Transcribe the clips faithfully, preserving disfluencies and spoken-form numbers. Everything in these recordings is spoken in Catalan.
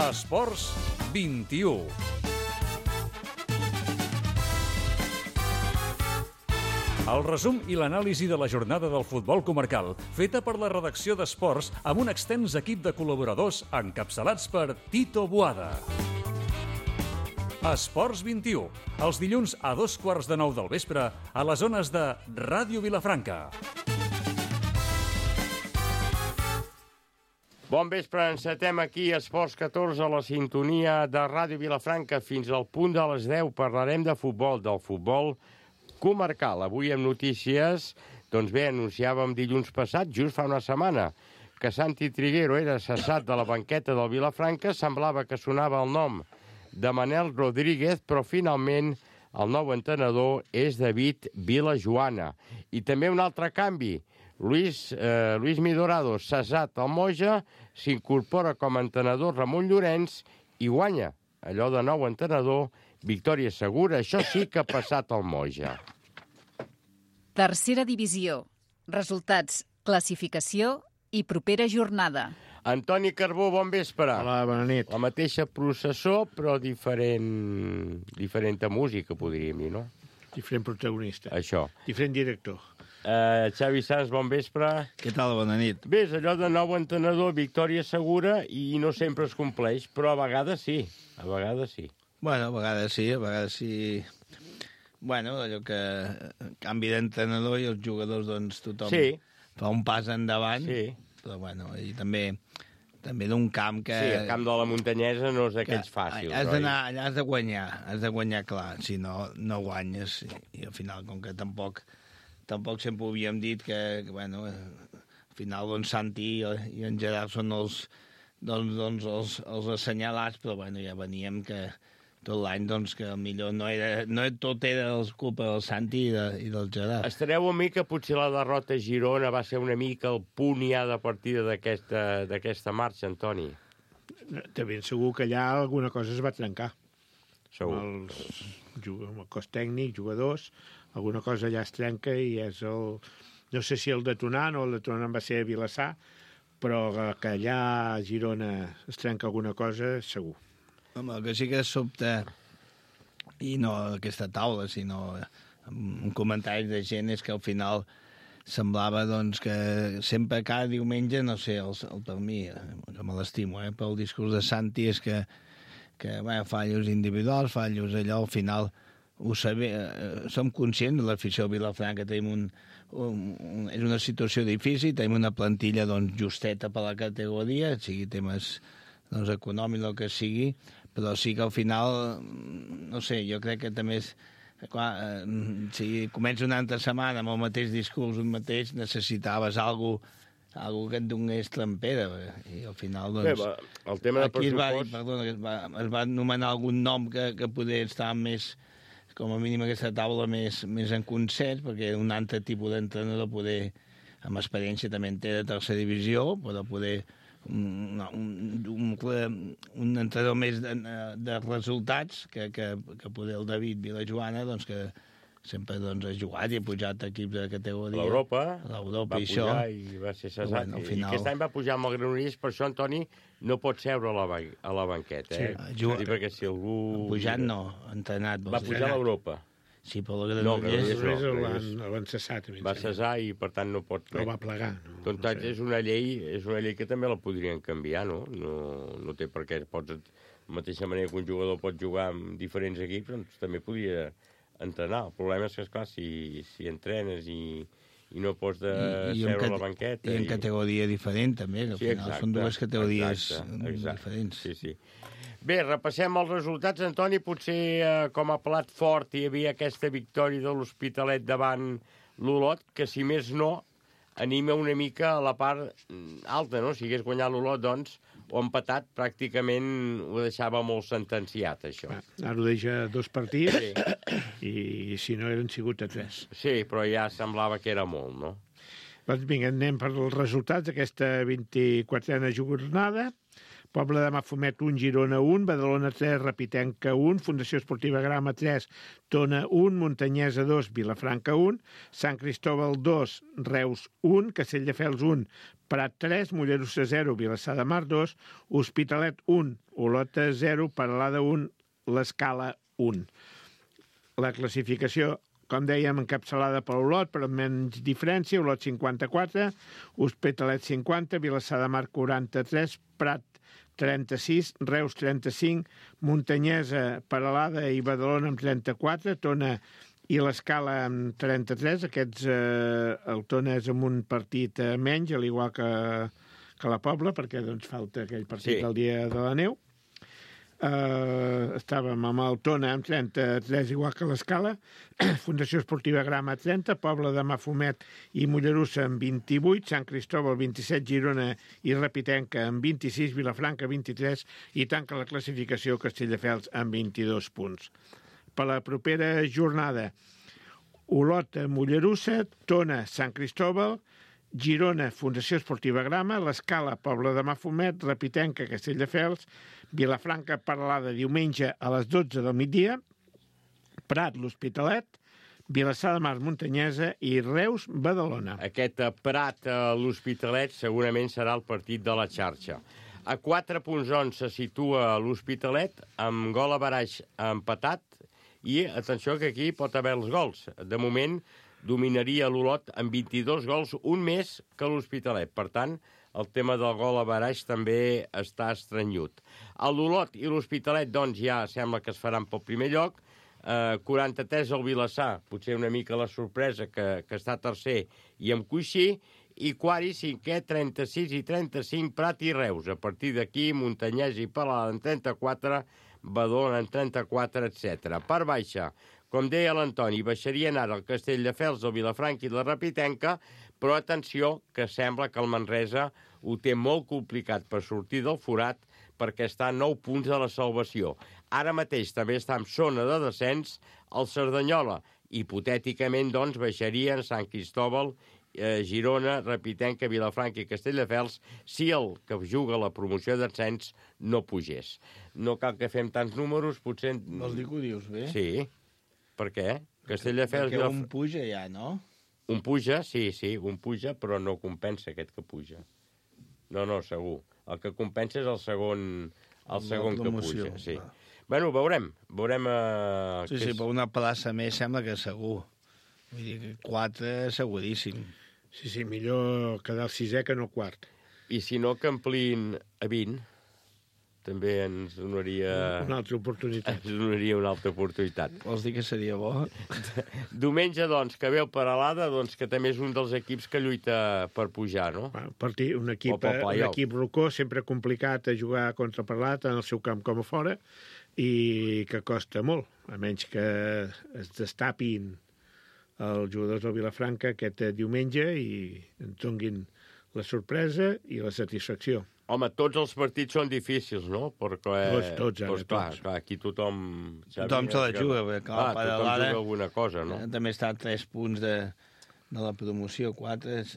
Esports vint-i-u. El resum i l'anàlisi de la jornada del futbol comarcal, feta per la redacció d'Esports amb un extens equip de col·laboradors encapçalats per Tito Boada. Esports vint-i-u, els dilluns a dos quarts de nou del vespre a les zones de Ràdio Vilafranca. Bon vespre, encetem aquí Esports catorze a la sintonia de Ràdio Vilafranca. Fins al punt de les deu parlarem de futbol, del futbol comarcal. Avui amb notícies, doncs bé, anunciàvem dilluns passat, just fa una setmana, que Santi Triguero era cessat de la banqueta del Vilafranca. Semblava que sonava el nom de Manel Rodríguez, però finalment el nou entrenador és David Vilajoana. I també un altre canvi. Luis, eh, Luis Midorado, cessat al Moja, s'incorpora com a entrenador Ramon Llorenç i guanya allò de nou entrenador, victòria segura. Això sí que ha passat al Moja. Tercera divisió. Resultats, classificació i propera jornada. Antoni Carbó, bon vespre. Hola, bona nit. La mateixa processó, però diferent, diferent música, podríem dir, no? Diferent protagonista. Això. Diferent director. Uh, Xavi Sanz, bon vespre. Què tal? Bona nit. Bé, és allò de nou entrenador, victòria segura, i no sempre es compleix, però a vegades sí. A vegades sí. Bueno, a vegades sí, a vegades sí. Bueno, allò que canvi d'entrenador i els jugadors, doncs, tothom sí. fa un pas endavant. Sí. Però, bueno, i també, també d'un camp que... Sí, el camp de la muntanyesa no és d'aquells fàcils. Has d'anar, allà has de guanyar, has de guanyar clar, si no, no guanyes. I, i al final, com que tampoc, tampoc sempre ho havíem dit, que, que bueno, al final, doncs, Santi i, i en Gerard són els, doncs, doncs, els, els assenyalats, però, bueno, ja veníem que tot l'any, doncs, que millor no era... No tot era culpa del Santi i, de, i del Gerard. Estareu amb mi que potser la derrota a Girona va ser una mica el punt ja de partida d'aquesta marxa, Antoni? De ben segur que allà alguna cosa es va trencar. Segur. Amb, els, amb el cos tècnic, jugadors, alguna cosa allà es trenca i és el... No sé si el detonant o el detonant va ser a Vilassar, però que allà a Girona es trenca alguna cosa, segur. Home, el que sí que sobta, i no aquesta taula, sinó en comentaris de gent, és que al final semblava doncs, que sempre cada diumenge, no sé, el, el per mi, que me l'estimo, eh, però el discurs de Santi és que, que bueno, fallos individuals, fallos allò, al final ho sabé, eh, som conscients de l'afició de Vilafranca, tenim un, un, un, és una situació difícil, tenim una plantilla doncs, justeta per la categoria, sigui temes doncs, econòmics o el que sigui, però sí que al final, no sé, jo crec que també és... Clar, eh, si comença una altra setmana amb el mateix discurs, un mateix, necessitaves alguna cosa, algo que et donés trampera. I al final, doncs... Bé, va, el tema de aquí es va, pressupost... perdona, es va, es va anomenar algun nom que, que poder estar més, com a mínim aquesta taula, més, més en concert, perquè un altre tipus d'entrenador poder, amb experiència també en té de tercera divisió, però poder... Un, un, un, un entrenador més de, de resultats que, que, que poder el David Vilajoana, doncs que sempre doncs, ha jugat i ha pujat equips de categoria. L'Europa L'Europa va i pujar això. I va ser cessat. Bueno, final... I aquest any va pujar amb el Granollers, per això, Antoni, no pot seure a la, a la banqueta. Eh? Sí, juga... dir, perquè si algú... Pujat no, entrenat. Va pujar a l'Europa. Sí, però el No, Granollers... no, El no, van, el van cessar, també. Va cessar i, per tant, no pot... No va plegar. No, Doncs no sé. és una llei, és una llei que també la podrien canviar, no? No, no té per què. Pots, de la mateixa manera que un jugador pot jugar amb diferents equips, doncs també podria entrenar. El problema és que, esclar, si, si entrenes i, i no pots de I, i seure en a la banqueta... I en i... categoria diferent, també, que al Sí, final exacte, són dues categories exacte, exacte. diferents. Sí, sí. Bé, repassem els resultats, Antoni. Potser eh, com a plat fort hi havia aquesta victòria de l'Hospitalet davant l'Olot, que si més no, anima una mica a la part alta, no? Si hagués guanyat l'Olot, doncs, o empatat, pràcticament ho deixava molt sentenciat, això. Ara ho deixa dos partits Sí. i si no eren sigut a tres. Sí, però ja semblava que era molt, no? Doncs vinga, anem per els resultats d'aquesta vint-i-quatrena jornada. Pobla de Mafumet un, Girona un, Badalona tres, Repitenca un, Fundació Esportiva Grama tres, Tona un, Muntanyesa dos, Vilafranca un, Sant Cristóbal dos, Reus un, Castelldefels un, Prat tres, Mollerussa zero, Vilassar de Mar dos, Hospitalet un, Olota zero, Peralada un, l'Escala un. La classificació, com dèiem, encapçalada per Olot, però amb menys diferència, Olot cinquanta-quatre, Hospitalet cinquanta, Vilassar de Mar quaranta-tres, Prat trenta-sis, Reus trenta-cinc, Muntanyesa, Peralada i Badalona amb trenta-quatre, Tona i l'Escala amb trenta-tres, aquests, eh, el Tona és amb un partit eh, menys, al igual que, que la Pobla, perquè doncs, falta aquell partit Sí. del dia de la neu. Uh, estàvem amb el Tona amb trenta-tres, igual que l'Escala, Fundació Esportiva Grama trenta, Pobla de Mafumet i Mollerussa amb vint-i-vuit, Sant Cristóbal vint-i-set, Girona i Repitenca amb vint-i-sis, Vilafranca vint-i-tres i tanca la classificació Castelldefels amb vint-i-dos punts. Per la propera jornada, Olot, Mollerussa, Tona, Sant Cristóbal, Girona, Fundació Esportiva Grama, l'Escala, Pobla de Mafumet, Repitenca, Castelldefels, Vilafranca, Peralada, diumenge a les dotze del migdia, Prat, l'Hospitalet, Vilassar de Mar, Muntanyesa i Reus, Badalona. Aquest Prat a l'Hospitalet segurament serà el partit de la xarxa. A quatre punts on se situa l'Hospitalet, amb gol a baraix empatat, i atenció que aquí pot haver els gols. De moment dominaria l'Olot amb vint-i-dos gols, un més que l'Hospitalet. Per tant, el tema del gol a baraix també està estranyut. L'Olot i l'Hospitalet, doncs, ja sembla que es faran pel primer lloc. Eh, quaranta-tres al Vilassar, potser una mica la sorpresa que, que està tercer i amb coixí, i quart i cinquè, trenta-sis i trenta-cinc, Prat i Reus. A partir d'aquí, Muntanyès i Peralada en trenta-quatre, Badalona en trenta-quatre, etcètera. Per baixa, com deia l'Antoni, baixarien ara el Castelldefels, el Vilafranca i la Repitenca, però atenció, que sembla que el Manresa ho té molt complicat per sortir del forat perquè està a nou punts de la salvació. Ara mateix també està en zona de descens el Cerdanyola. Hipotèticament, doncs, baixarien Sant Cristóbal, eh, Girona, Repitenca, Vilafranca i Castelldefels si el que juga la promoció d'ascens no pugés. No cal que fem tants números, potser... Vols dir que ho dius bé? Sí. Per què? Castelldefels... Perquè un puja ja, no? Un puja, sí, sí, un puja, però no compensa aquest que puja. No, no, segur. El que compensa és el segon, el segon que puja, sí. Va. Bueno, veurem. Veurem... Eh, Sí, sí, és... per una plaça més sembla que segur. Vull dir que quatre seguríssim. Sí, sí, millor quedar el sisè que no el quart. I si no, que ampliïn a vint, també ens donaria... Una altra oportunitat. Ens donaria una altra oportunitat. Vols dir que seria bo? Diumenge, doncs, que ve el Peralada, doncs, que també és un dels equips que lluita per pujar, no? Partir, un equip, O pel un playoff. equip rocó, sempre complicat a jugar contra Peralada, tant al seu camp com a fora, i que costa molt, a menys que es destapin els jugadors del Vilafranca aquest diumenge i ens donguin la sorpresa i la satisfacció. Home, tots els partits són difícils, no? Perquè, Tots, tots, ara, doncs, clar, tots. clar, aquí tothom... Tothom se la juga, perquè, clar, Ah, per tothom l'ara- juga alguna cosa, no? Eh, També està a tres punts de, de la promoció, quatre... és-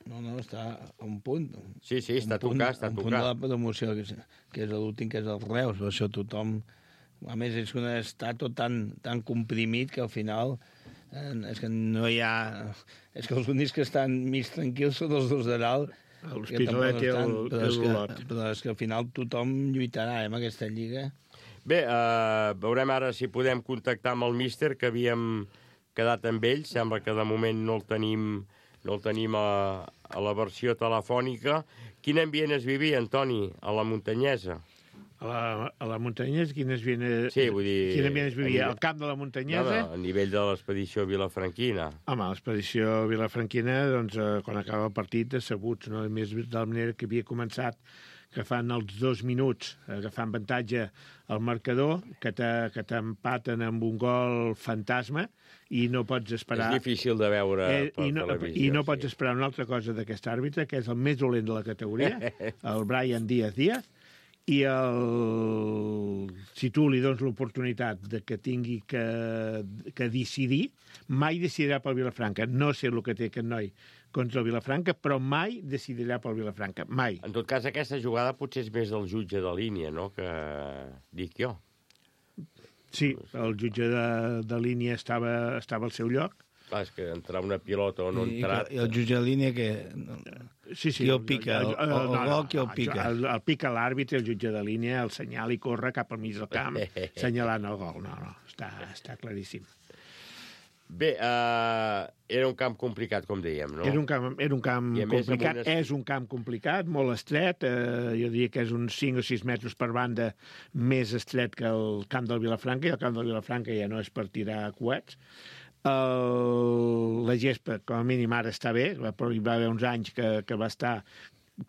No, no, està a un punt. Sí, sí, està Un punt- tocat, està un punt de la tocat. promoció, que és, que és l'últim, que és el Reus. Per això tothom... A més, és un està tot tan, tan comprimit que al final eh, és que no hi ha... És que els únics que estan mig tranquils són els dos de dalt. L'Hospitalet i el- però i és que- l'Olot. Però és que al final tothom lluitarà eh, amb aquesta lliga. Bé, eh, veurem ara si podem contactar amb el míster, que havíem quedat amb ell. Sembla que de moment no el tenim, no el tenim a, a la versió telefònica. Quin ambient es vivia, Antoni, a la Muntanyesa? A la, a la Muntanyesa, quin ambient, Sí, vull dir- quin ambient es vivia? a Al camp de la No, Muntanyesa? no, a nivell de l'expedició vilafranquina. Home, l'expedició vilafranquina, doncs, eh, quan acaba el partit, decebuts, no? A més, de la manera que havia començat, que fan els dos minuts, agafant avantatge al marcador, que te- que t'empaten amb un gol fantasma, i no pots esperar... És difícil de veure Eh, per i, no, televisió. I no pots sí. esperar una altra cosa d'aquest àrbitre, que és el més dolent de la categoria, el Brian Díaz Díaz, i el... si tu li dones l'oportunitat de que tingui que, que decidir, mai decidirà pel Vilafranca. No sé el que té aquest noi contra el Vilafranca, però mai decidirà pel Vilafranca, mai. En tot cas, aquesta jugada potser és més del jutge de línia, no?, que dic jo. Sí, el jutge de, de línia estava, estava al seu lloc. Clar, és que entrar una pilota o no I, entrar... I el jutge de línia que... Sí, sí. Qui el pica? El, el, el, el gol qui el pica? El, el pica l'àrbitre, el jutge de línia, el senyal i corre cap al mig del camp, senyalant el gol. No, no, està, està claríssim. Bé, uh, era un camp complicat, com dèiem, no? Era un camp, era un camp complicat, una... és un camp complicat, molt estret, eh, jo diria que és uns cinc o sis metres per banda més estret que el camp del Vilafranca, i el camp del Vilafranca ja no és per tirar coets. El, la gespa, com a mínim, ara està bé, però hi va haver uns anys que, que va estar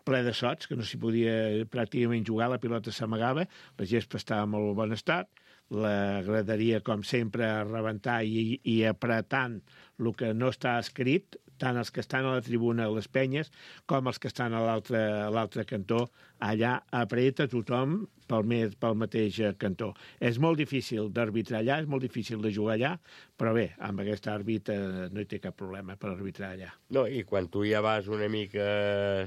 ple de sots, que no s'hi podia pràcticament jugar, la pilota s'amagava, la gespa estava en molt bon estat, la graderia, com sempre, a rebentar i, i apretant el que no està escrit, tant els que estan a la tribuna, a les penyes, com els que estan a l'altre cantó, allà apreta tothom pel, més, pel mateix cantó. És molt difícil d'arbitrar allà, és molt difícil de jugar allà, però bé, amb aquest àrbit eh, no hi té cap problema per arbitrar allà. No, i quan tu ja vas una mica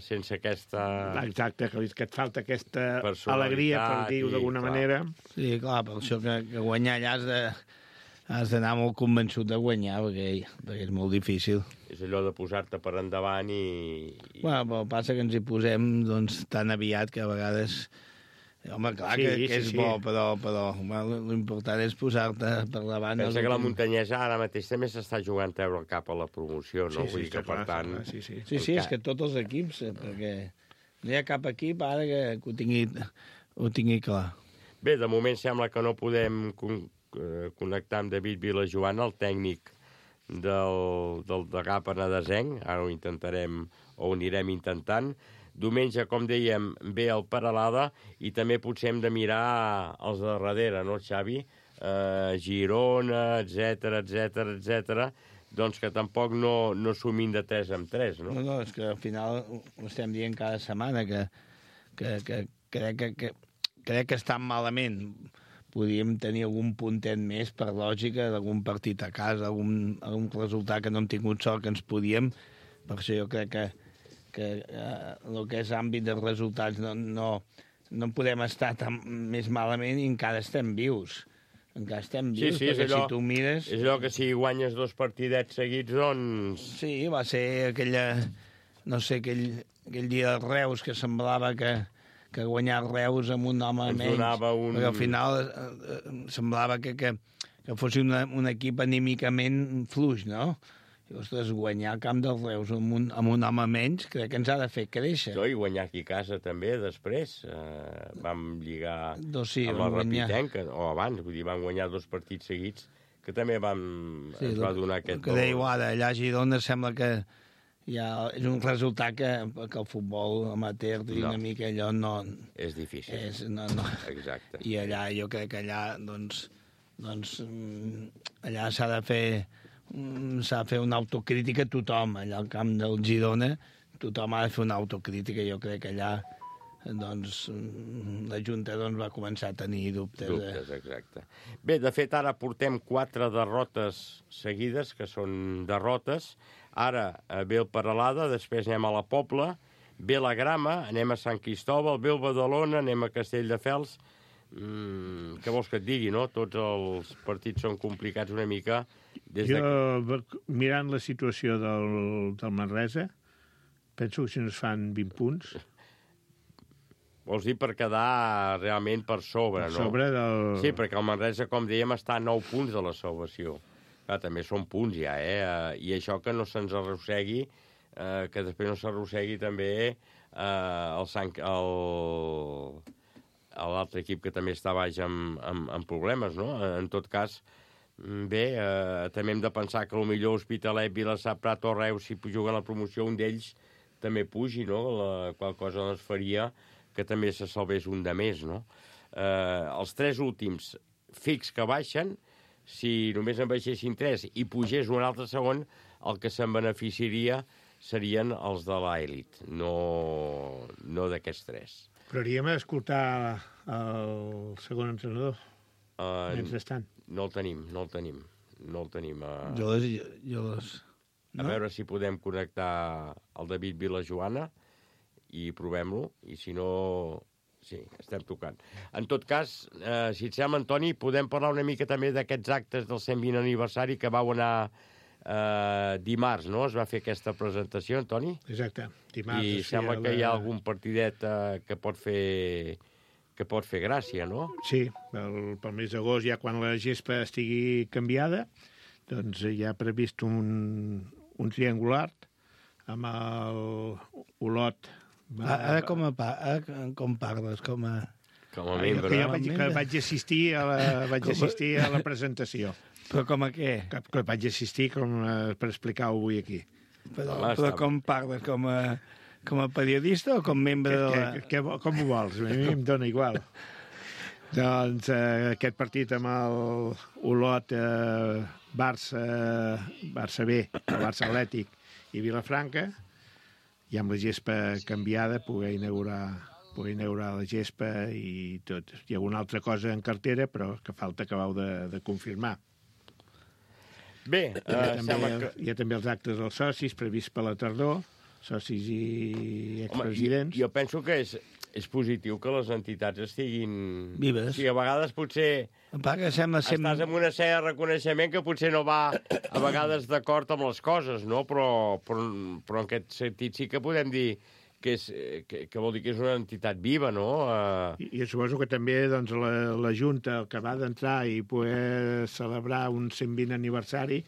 sense aquesta... Exacte, que, que et falta aquesta alegria, per dir-ho d'alguna manera. Sí, clar, per això que, que guanyar allà has de... has d'anar molt convençut de guanyar, perquè, perquè és molt difícil. És allò de posar-te per endavant i... i... Bueno, però passa que ens hi posem doncs, tan aviat que a vegades... Home, clar sí, que, que és sí, bo, sí. però, però bueno, l'important és posar-te per davant. Pensa que la muntanyesa ara mateix també s'està jugant treure el cap a la promoció, no? Sí, Vull sí, dir que, per tant... Clar, sí, sí. Sí, sí, és que tots els equips, perquè no hi ha cap equip ara que, que ho, tingui, ho tingui clar. Bé, de moment sembla que no podem connectar amb David Vilajoana, el tècnic del, del Degà Penedesenc. Ara ho intentarem, o ho anirem intentant. Diumenge, com dèiem, ve el Peralada i també potser hem de mirar els de darrere, no, Xavi? Eh, Girona, etcètera, etcètera, etcètera. Doncs que tampoc no, no sumin de tres en tres, no? No, no, és que al final ho estem dient cada setmana, que, que, que crec que, que, crec que estan malament. Podríem tenir algun puntet més, per lògica, d'algun partit a casa, algun, algun resultat que no hem tingut sort que ens podíem. Per això jo crec que, que eh, el que és àmbit dels resultats no, no, no podem estar tan més malament i encara estem vius. Encara estem vius, sí, sí, perquè allò, si tu mires... És allò que si guanyes dos partidets seguits, doncs... Sí, va ser aquella... No sé, aquell, aquell dia de Reus que semblava que... que guanyar Reus amb un home ens menys, un... perquè al final eh, eh, semblava que, que, que fos una, un equip anímicament fluix, no? I, ostres, guanyar el camp dels Reus amb un, amb un home menys crec que ens ha de fer créixer. No, i guanyar aquí a casa també, després. Eh, vam lligar doncs sí, amb la Rapitenca, o abans, vull dir, vam guanyar dos partits seguits, que també vam, sí, ens va donar aquest... Que dèieu ara, allà a Girona sembla que ja és un resultat que, que el futbol amateur no. una mica allò no... És difícil. És, no, no. Exacte. I allà, jo crec que allà, doncs, doncs allà s'ha de fer s'ha de fer una autocrítica a tothom. Allà al camp del Girona tothom ha de fer una autocrítica. Jo crec que allà doncs, la Junta doncs, va començar a tenir dubtes. Dubtes, exacte. Bé, de fet, ara portem quatre derrotes seguides, que són derrotes. Ara ve el Peralada, després anem a la Pobla, ve la Grama, anem a Sant Cristòbal, ve el Badalona, anem a Castelldefels. Mm, què vols que et digui, no? Tots els partits són complicats una mica. Des jo, de... mirant la situació del, del Manresa, penso que si no es fan vint punts... Vols dir per quedar realment per sobre, per no? sobre del... Sí, perquè el Manresa, com dèiem, està a nou punts de la salvació. Clar, també són punts ja, eh? I això que no se'ns arrossegui, eh, que després no s'arrossegui també eh, el Sant... El... l'altre equip que també està baix amb, amb, amb problemes, no? En tot cas, bé, eh, també hem de pensar que potser Hospitalet, Vilassar, Prat o Reus, si juguen a la promoció, un d'ells també pugi, no? La qual cosa doncs faria que també se salvés un de més, no? Eh, els tres últims fix que baixen, si només en baixessin tres i pugés un altre segon, el que se'n beneficiaria serien els de l'elit, no, no d'aquests tres. Però hauríem d'escoltar el segon entrenador, uh, mentrestant. No el tenim, no el tenim. No el tenim. Uh... Jo les... Jo les... No? A veure si podem connectar el David Vilajoana i provem-lo, i si no... Sí, estem tocant. En tot cas, eh, si et sembla, Antoni, podem parlar una mica també d'aquests actes del cent vint aniversari que vau anar eh, dimarts, no? Es va fer aquesta presentació, Antoni? Exacte, dimarts. I sembla que hi ha algun partidet eh, que pot fer que pot fer gràcia, no? Sí, pel, pel mes d'agost, ja quan la gespa estigui canviada, doncs hi ha previst un, un triangular amb el Olot. Va, ara, com a, ara com parles? Com a... Com a membre. Que jo vaig, que vaig, assistir a la, vaig assistir a la presentació. Però com a què? Que, que vaig assistir com a, per explicar-ho avui aquí. Però, però com parles? Com a, com a periodista o com membre de la... Que, que, que, com ho vols? A mi em dóna igual. Doncs eh, aquest partit amb el Olot, eh, Barça, Barça B, Barça Atlètic i Vilafranca, i amb la gespa canviada poder inaugurar, poder inaugurar la gespa i tot. Hi ha alguna altra cosa en cartera, però que falta acabau de, de confirmar. Bé, hi, uh, ha també, sembla que... hi ha també els actes dels socis previst per la tardor, socis i expresidents. Home, jo penso que és, és positiu que les entitats estiguin... Vives. O sigui, a vegades potser... Que sembla sem... Estàs en una sèrie de reconeixement que potser no va a vegades d'acord amb les coses, no? Però, però, però en aquest sentit sí que podem dir que, és, que, que vol dir que és una entitat viva, no? Uh... I, I suposo que també doncs, la, la Junta, el que va d'entrar i poder celebrar un cent vint aniversari,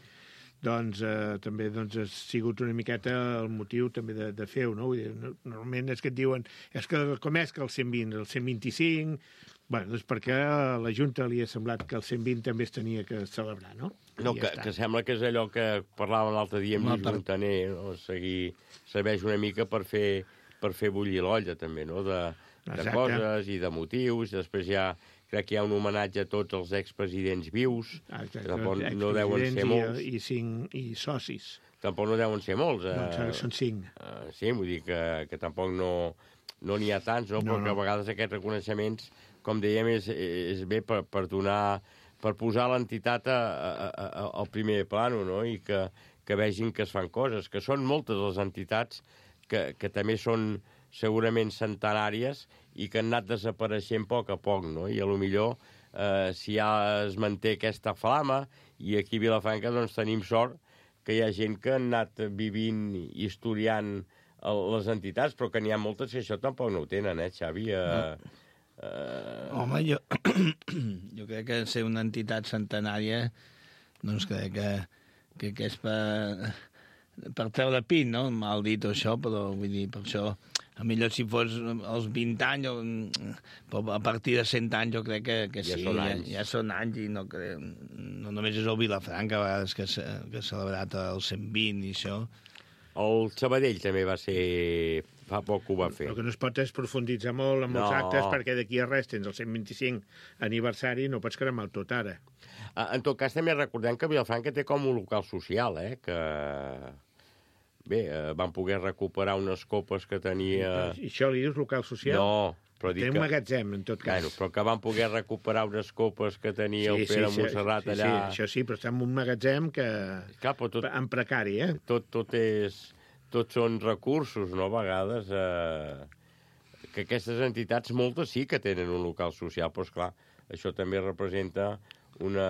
doncs eh, també doncs, ha sigut una miqueta el motiu també de, de fer-ho, no? Vull dir, normalment és que et diuen, és que com és que el cent vint, el cent vint-i-cinc... Bueno, doncs perquè a la Junta li ha semblat que el cent vint també es tenia que celebrar, no? No, que, que sembla que és allò que parlàvem l'altre dia amb Lluís Montaner, no? Seguir, serveix una mica per fer, per fer bullir l'olla, també, no? De, de coses i de motius. Després hi ha, crec que hi ha un homenatge a tots els expresidents vius. Exacte, que tampoc no deuen ser molts. I, i, cinc, i socis. Tampoc no deuen ser molts. Eh? No, són cinc. Eh, sí, vull dir que, que tampoc no no n'hi ha tants, no? no Però no. Que a vegades aquests reconeixements, com dèiem, és, és bé per, per donar, per posar l'entitat a, a, a, al primer plano, no? I que, que vegin que es fan coses, que són moltes les entitats que, que també són segurament centenàries i que han anat desapareixent a poc a poc, no? I a lo millor, eh, si ja es manté aquesta flama, i aquí a Vilafranca doncs tenim sort que hi ha gent que han anat vivint i historiant les entitats, però que n'hi ha moltes que això tampoc no ho tenen, eh, Xavi? Eh, no. eh... Home, jo, jo crec que ser una entitat centenària, doncs crec que, que, que és per, per treure pit, no? Mal dit això, però vull dir, per això, a millor si fos als vint anys, o, però a partir de cent anys jo crec que, que ja sí, són ja, anys. ja són anys, i no, crec, no només és el Vilafranca, a vegades que, que ha celebrat el cent vint i això. El Sabadell també va ser... Fa poc que ho va fer. El que no es pot és profunditzar molt en no. els actes, perquè d'aquí a res tens el cent vint-i-cinc aniversari i no pots cremar el tot ara. En tot cas, també recordem que Vilafranca té com un local social, eh? Que... Bé, van poder recuperar unes copes que tenia... I això li dius local social? No, però dic té que... un magatzem, en tot cas. Bueno, però que van poder recuperar unes copes que tenia sí, el Pere sí, Montserrat sí, allà... Sí, això sí, però està en un magatzem que... Clar, tot... en precari, eh? Tot, tot és... Tots són recursos, no?, a vegades, eh, que aquestes entitats, moltes sí que tenen un local social, però, esclar, això també representa una,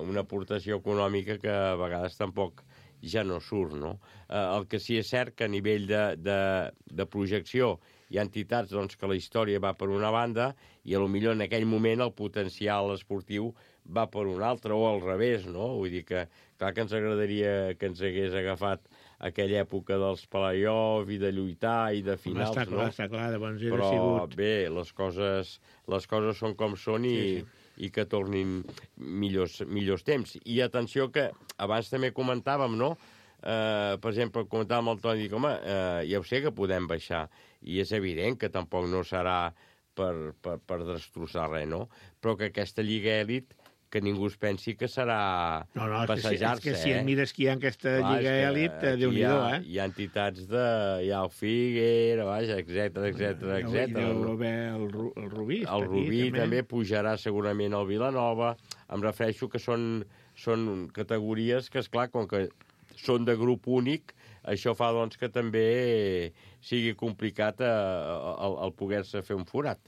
una aportació econòmica que a vegades tampoc ja no surt, no? Eh, el que sí és cert que a nivell de, de, de projecció hi ha entitats doncs, que la història va per una banda i a lo millor en aquell moment el potencial esportiu va per una altra, o al revés, no? Vull dir que, clar que ens agradaria que ens hagués agafat aquella època dels playoff i de lluitar i de finals, està clar, no? Està clar, de bons però sigut. Bé, les coses, les coses són com són i, sí, sí. i que tornin millors, millors temps. I atenció que abans també comentàvem, no? Eh, per exemple, comentàvem el Toni, dic, home, eh, ja ho sé que podem baixar, i és evident que tampoc no serà per, per, per destrossar res, no? Però que aquesta Lliga Elit que ningú es pensi que serà no, no, passejar-se, és que, és que si eh? et mires que hi ha aquesta Clar, lliga èlit, Déu-n'hi-do, eh? Hi ha entitats de... Hi ha el Figuera, vaja, etcètera, etcètera, etcètera. I deu haver el, el Rubí. El Rubí també. també pujarà segurament al Vilanova. Em refereixo que són, són categories que, esclar, com que són de grup únic, això fa doncs, que també sigui complicat eh, el, el poder-se fer un forat.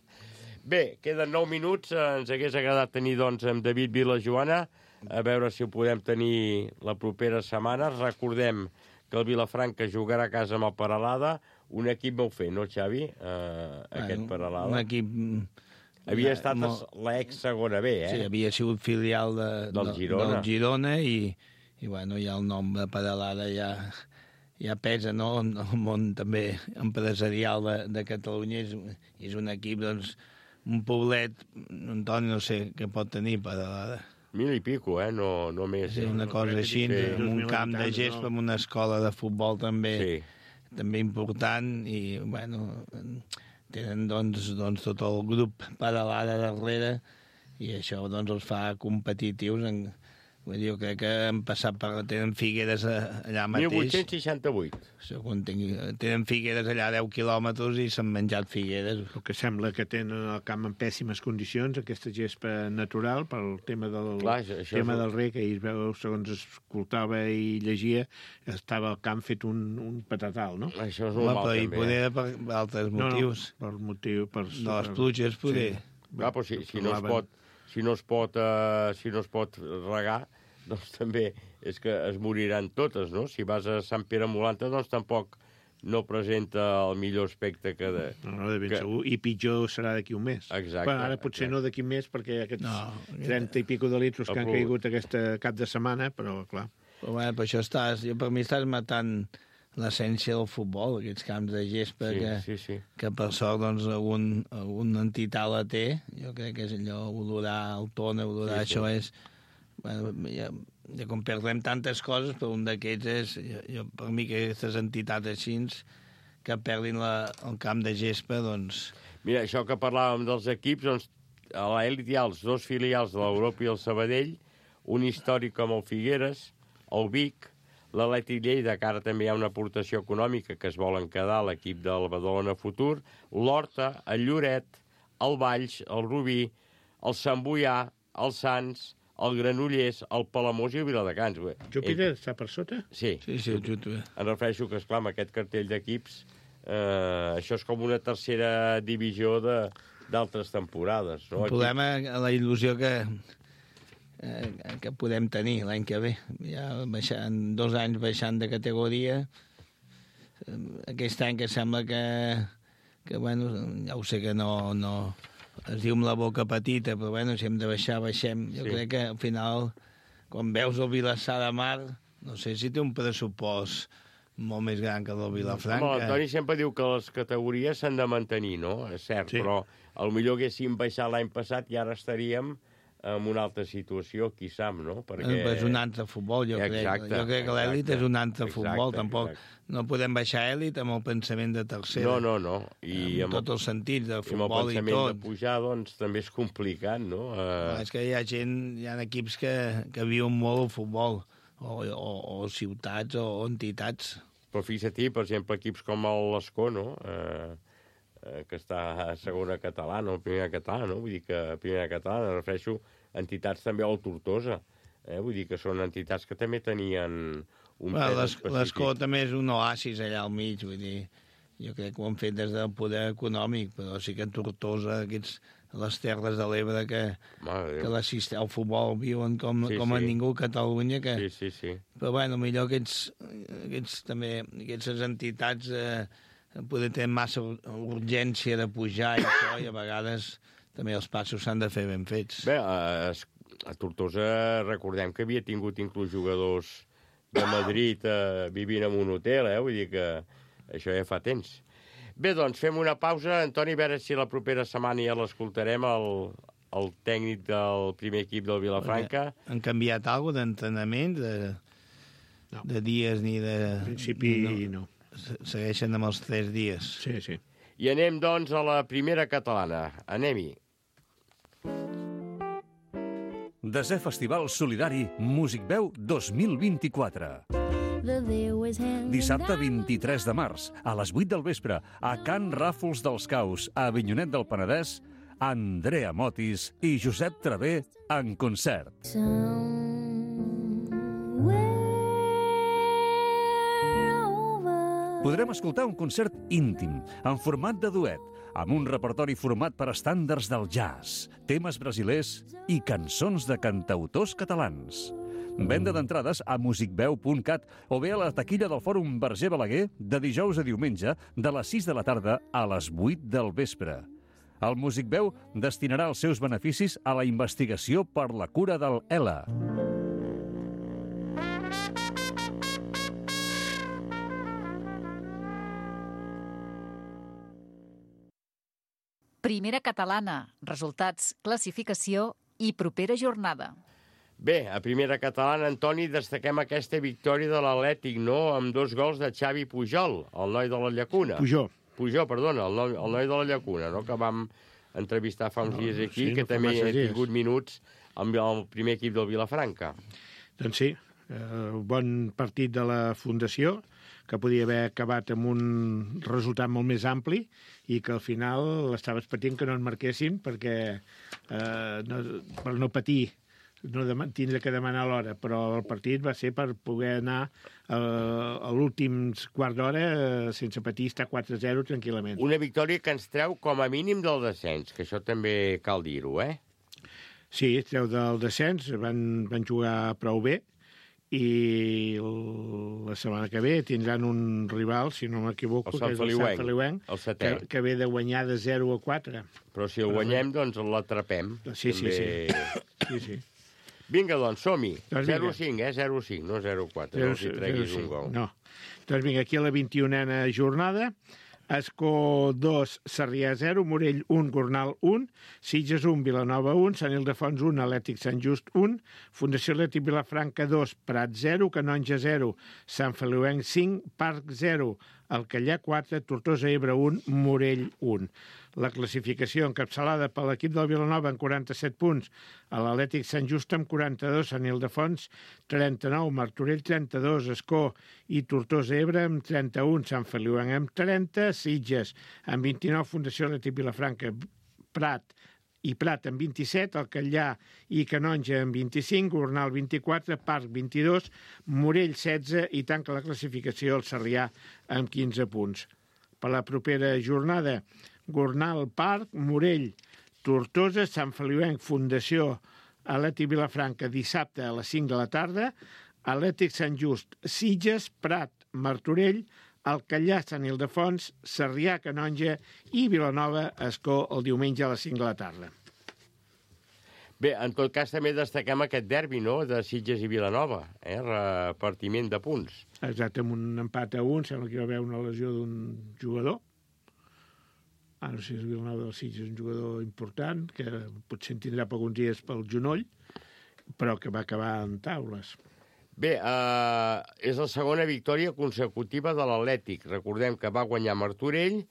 Bé, queden nou minuts. Ens hagués agradat tenir doncs, amb David Vilajoana, a veure si ho podem tenir la propera setmana. Recordem que el Vilafranca jugarà a casa amb el Peralada, un equip molt fet, no, Xavi? Uh, aquest bueno, Peralada. Un equip... Havia estat molt... l'ex segona B, eh? Sí, havia sigut filial de, del Girona, del Girona i, i bueno, ja el nom de Peralada ja, ja pesa, no? El món també empresarial de, de Catalunya és, és un equip, doncs, un poblet, Antoni, no sé què pot tenir Peralada. Mil i pico, eh? No, no més. Sí, una cosa així, sí. Amb un camp de gespa, amb una escola de futbol també, sí. també important, i, bueno, tenen, doncs, doncs tot el grup Peralada darrere, i això, doncs, els fa competitius en... Vull dir, jo crec que han passat per... Tenen Figueres allà mateix. mil vuit-cents seixanta-vuit. Segons tinc, tenen Figueres allà a deu quilòmetres i s'han menjat Figueres. El que sembla que tenen el camp en pèssimes condicions, aquesta gespa natural, pel tema del, Clar, això tema és... del rec, que ahir, veu, segons escoltava i llegia, estava el camp fet un, un patatal, no? Això és normal, també. I poder per altres motius. No, no, per motiu... Per, de les pluges, poder. Sí. Clar, però si, si, no es pot, si, no es pot, uh, si no es pot regar, doncs també és que es moriran totes, no? Si vas a Sant Pere Molanta, doncs tampoc no presenta el millor aspecte que... De, no, no, de ben que... segur. I pitjor serà d'aquí un mes. Exacte. Bueno, ara potser exacte. no d'aquí un mes, perquè aquests no, trenta i pico de litros que han Apro... caigut aquesta cap de setmana, però, clar... Però, bueno, per això estàs... Jo, per mi estàs matant l'essència del futbol, aquests camps de gespa sí, que, sí, sí. que per sort doncs, algun, alguna entitat la té. Jo crec que és allò, olorar el tona, olorar sí, això sí. és... Bueno, ja, ja com perdem tantes coses, però un d'aquests és, jo, jo, per mi, que aquestes entitats així que perdin la, el camp de gespa, doncs... Mira, això que parlàvem dels equips, doncs, a l'elit hi ha els dos filials de l'Europa i el Sabadell, un històric com el Figueres, el Vic, l'Atlètic Lleida, que ara també hi ha una aportació econòmica que es volen quedar a l'equip del Badalona Futur, l'Horta, el Lloret, el Valls, el Rubí, el Sant Boià, el Sants, el Granollers, el Palamós i el Viladecans. Júpiter està per sota? Sí. Sí, sí, el Júpiter. Em refereixo que, esclar, amb aquest cartell d'equips, eh, això és com una tercera divisió d'altres temporades. No? El problema, la il·lusió que, eh, que podem tenir l'any que ve. Ja baixant, dos anys baixant de categoria, aquest any que sembla que, que bueno, ja ho sé que no... no es diu amb la boca petita, però bueno, si hem de baixar, baixem. Jo sí. crec que al final, quan veus el Vilassar de Mar, no sé si té un pressupost molt més gran que el del Vilafranca. Home, Toni sempre diu que les categories s'han de mantenir, no? És cert, sí. però potser haguéssim baixat l'any passat i ara estaríem en una altra situació, qui sap, no? Perquè... És un altre futbol, jo exacte, crec. Jo crec que l'èlit és un altre exacte, futbol, tampoc. Exacte. No podem baixar èlit amb el pensament de tercera. No, no, no. I amb, amb tots els sentits del futbol i tot. I amb el pensament de pujar, doncs, també és complicat, no? Uh... És que hi ha gent, hi ha equips que, que viuen molt el futbol, o, o, o ciutats o, o entitats. Però fixa't, per exemple, equips com l'Escó, no? Uh... que està a segona catalana o primera catalana, no? Vull dir que a primera catalana, refereixo entitats també al Tortosa, eh? Vull dir que són entitats que també tenien un bueno, pes específic. L'Escó també és un oasis allà al mig, vull dir, jo crec que ho han fet des del poder econòmic, però sí que a Tortosa, aquests, les Terres de l'Ebre, que, que el futbol viuen com, sí, com a sí. ningú a Catalunya, que... Sí, sí, sí. Però bueno, millor aquests, aquests també, aquestes entitats... Eh, poder tenir massa urgència de pujar i això, i a vegades també els passos s'han de fer ben fets. Bé, a, a Tortosa recordem que havia tingut inclús jugadors de Madrid eh, vivint en un hotel, eh? Vull dir que això ja fa temps. Bé, doncs, fem una pausa. Antoni, a veure si la propera setmana ja l'escoltarem, el, el tècnic del primer equip del Vilafranca. Han canviat alguna cosa d'entrenament, de, no. de dies ni de... En principi no. no. Segueixen amb els tres dies. Sí, sí. I anem, doncs, a la primera catalana. Anem-hi. Desè Festival Solidari Musicveu dos mil vint-i-quatre. Dissabte vint-i-tres de març, a les vuit del vespre, a Can Ràfols dels Caus, a Avinyonet del Penedès, Andrea Motis i Josep Travé en concert. Podrem escoltar un concert íntim, en format de duet, amb un repertori format per estàndards del jazz, temes brasilers i cançons de cantautors catalans. Venda d'entrades a musicveu punt cat o bé a la taquilla del Fòrum Verger Balaguer de dijous a diumenge de les sis de la tarda a les vuit del vespre. El Musicveu destinarà els seus beneficis a la investigació per la cura del E L A. Primera catalana, resultats, classificació i propera jornada. Bé, a primera catalana, Antoni, destaquem aquesta victòria de l'Atlètic, no?, amb dos gols de Xavi Pujol, el noi de la Llacuna. Pujol. Pujol, perdona, el noi, el noi de la Llacuna, no?, que vam entrevistar fa uns no, dies aquí, sí, que no també ha dies. tingut minuts amb el primer equip del Vilafranca. Doncs sí, eh, bon partit de la Fundació, que podia haver acabat amb un resultat molt més ampli i que al final estaves patint que no en marquessin perquè eh, no, per no patir, no tindre que demanar l'hora, però el partit va ser per poder anar eh, a l'últim quart d'hora eh, sense patir, estar quatre a zero tranquil·lament. Una victòria que ens treu com a mínim del descens, que això també cal dir-ho, eh? Sí, treu del descens, van, van jugar prou bé, i la setmana que ve tindran un rival, si no m'equivoco, el que és el Sant Feliuenc, el setè. que, que ve de guanyar de zero a quatre. Però si el guanyem, doncs l'atrapem. Sí, sí, també... sí. sí, sí. Vinga, doncs, som-hi. Doncs zero a cinc, eh? zero a cinc, no zero a quatre. No els hi treguis un gol. No. Doncs vinga, aquí a la vint-i-unena jornada, Escó dos, Sarrià zero, Morell un, Gornal un, Sitges un, Vilanova un, Sant Ildefons un, Atlètic Sant Just un, Fundació Atlètic Vilafranca dos, Prat zero, Canonja zero, Sant Feliuenc cinc, Parc zero, Alcallà quatre, Tortosa Ebre un, Morell un. La classificació encapçalada per l'equip del Vilanova amb quaranta-set punts, a l'Atlètic Sant Just amb quaranta-dos, Sant Ildefons trenta-nou, Martorell trenta-dos, Escó i Tortosa Ebre amb trenta-un, Sant Feliuenc amb trenta, Sitges amb vint-i-nou, Fundació Atlètic Vilafranca, Prat i Prat amb vint-i-set, Alcallà i Canonja amb vint-i-cinc, Gornal vint-i-quatre, Parc vint-i-dos, Morell setze i tanca la classificació el Sarrià amb quinze punts. Per la propera jornada, Gornal, Parc, Morell, Tortosa, Sant Feliuenc, Fundació Atlètic Vilafranca, dissabte a les cinc de la tarda, Atlètic Sant Just, Sitges, Prat, Martorell, Alcallà, Sant Ildefons, Sarrià, Canonja i Vilanova, Escó, el diumenge a les cinc de la tarda. Bé, en tot cas també destaquem aquest derbi, no?, de Sitges i Vilanova, eh? Repartiment de punts. Exacte, amb un empat a un, sembla que hi va haver una lesió d'un jugador. Ah, no sé si Vilanova del Sitges és un jugador important, que potser en tindrà per alguns dies pel genoll, però que va acabar en taules. Bé, eh, és la segona victòria consecutiva de l'Atlètic. Recordem que va guanyar Martorell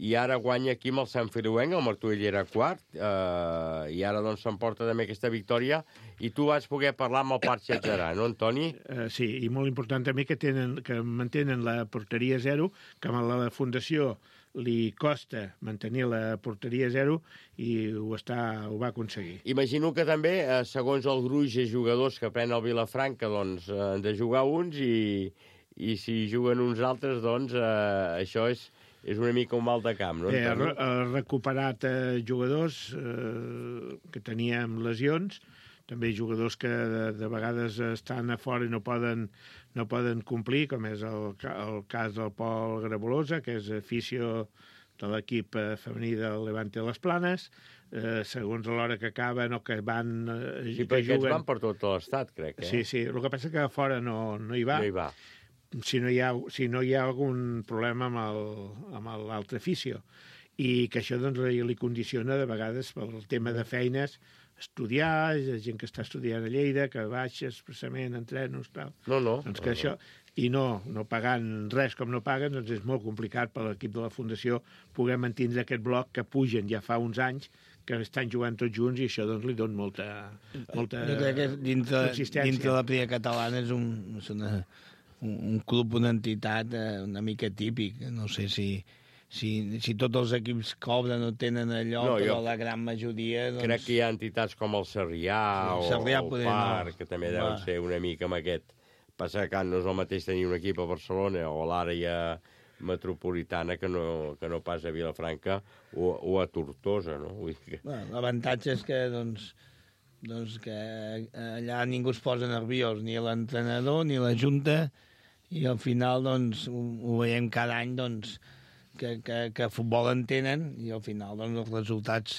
i ara guanya aquí amb el Sant Feliuenc, el Martorell era quart, eh, i ara doncs s'emporta també aquesta victòria, i tu vas poder parlar amb el Parc Xatxarà, no, Antoni? Uh, sí, i molt important també que, tenen, que mantenen la porteria zero, que a la Fundació li costa mantenir la porteria zero i ho, està, ho va aconseguir. Imagino que també, eh, segons el gruix de jugadors que pren el Vilafranca, doncs eh, han de jugar uns i, i si juguen uns altres, doncs eh, això és, és una mica un mal de camp, no? Eh, ha, ha recuperat eh, jugadors eh, que teníem lesions, també jugadors que de, de vegades estan a fora i no poden, no poden complir, com és el, el cas del Pol Grabolosa, que és afició de l'equip femení del Levante de les Planes, eh, segons l'hora que acaben o que van... Eh, sí, perquè aquests van per tot l'estat, crec. Eh? Sí, sí, el que passa que a fora no, no hi va. No hi va. Si no hi ha, si no hi ha algun problema amb el, amb l'altre afició. I que això doncs, li condiciona de vegades pel tema de feines, estudiar, gent que està estudiant a Lleida, que baixa expressament, entrenos, tal. No, no. Doncs que no, això, no. I no, no pagant res com no paguen, doncs és molt complicat per l'equip de la Fundació poder mantenir aquest bloc que pugen ja fa uns anys, que estan jugant tots junts i això doncs li dona molta, molta jo crec que dintre, consistència. dintre la Primera Catalana és un, és una, un, un club, una entitat eh, una mica típic. No sé si, si, si tots els equips cobren o tenen allò, No, però jo la gran majoria... Doncs... Crec que hi ha entitats com el Sarrià Sí, o Sarrià el poder Parc, no. que també Va. deuen ser una mica amb aquest. Passa que no és el mateix tenir un equip a Barcelona o a l'àrea metropolitana que no, que no pas a Vilafranca o, o a Tortosa, no? Vull dir que... Bueno, l'avantatge és que, doncs, doncs que allà ningú es posa nerviós, ni l'entrenador ni la Junta, i al final doncs, ho, ho veiem cada any doncs, que, que, que futbol en tenen i al final doncs, els resultats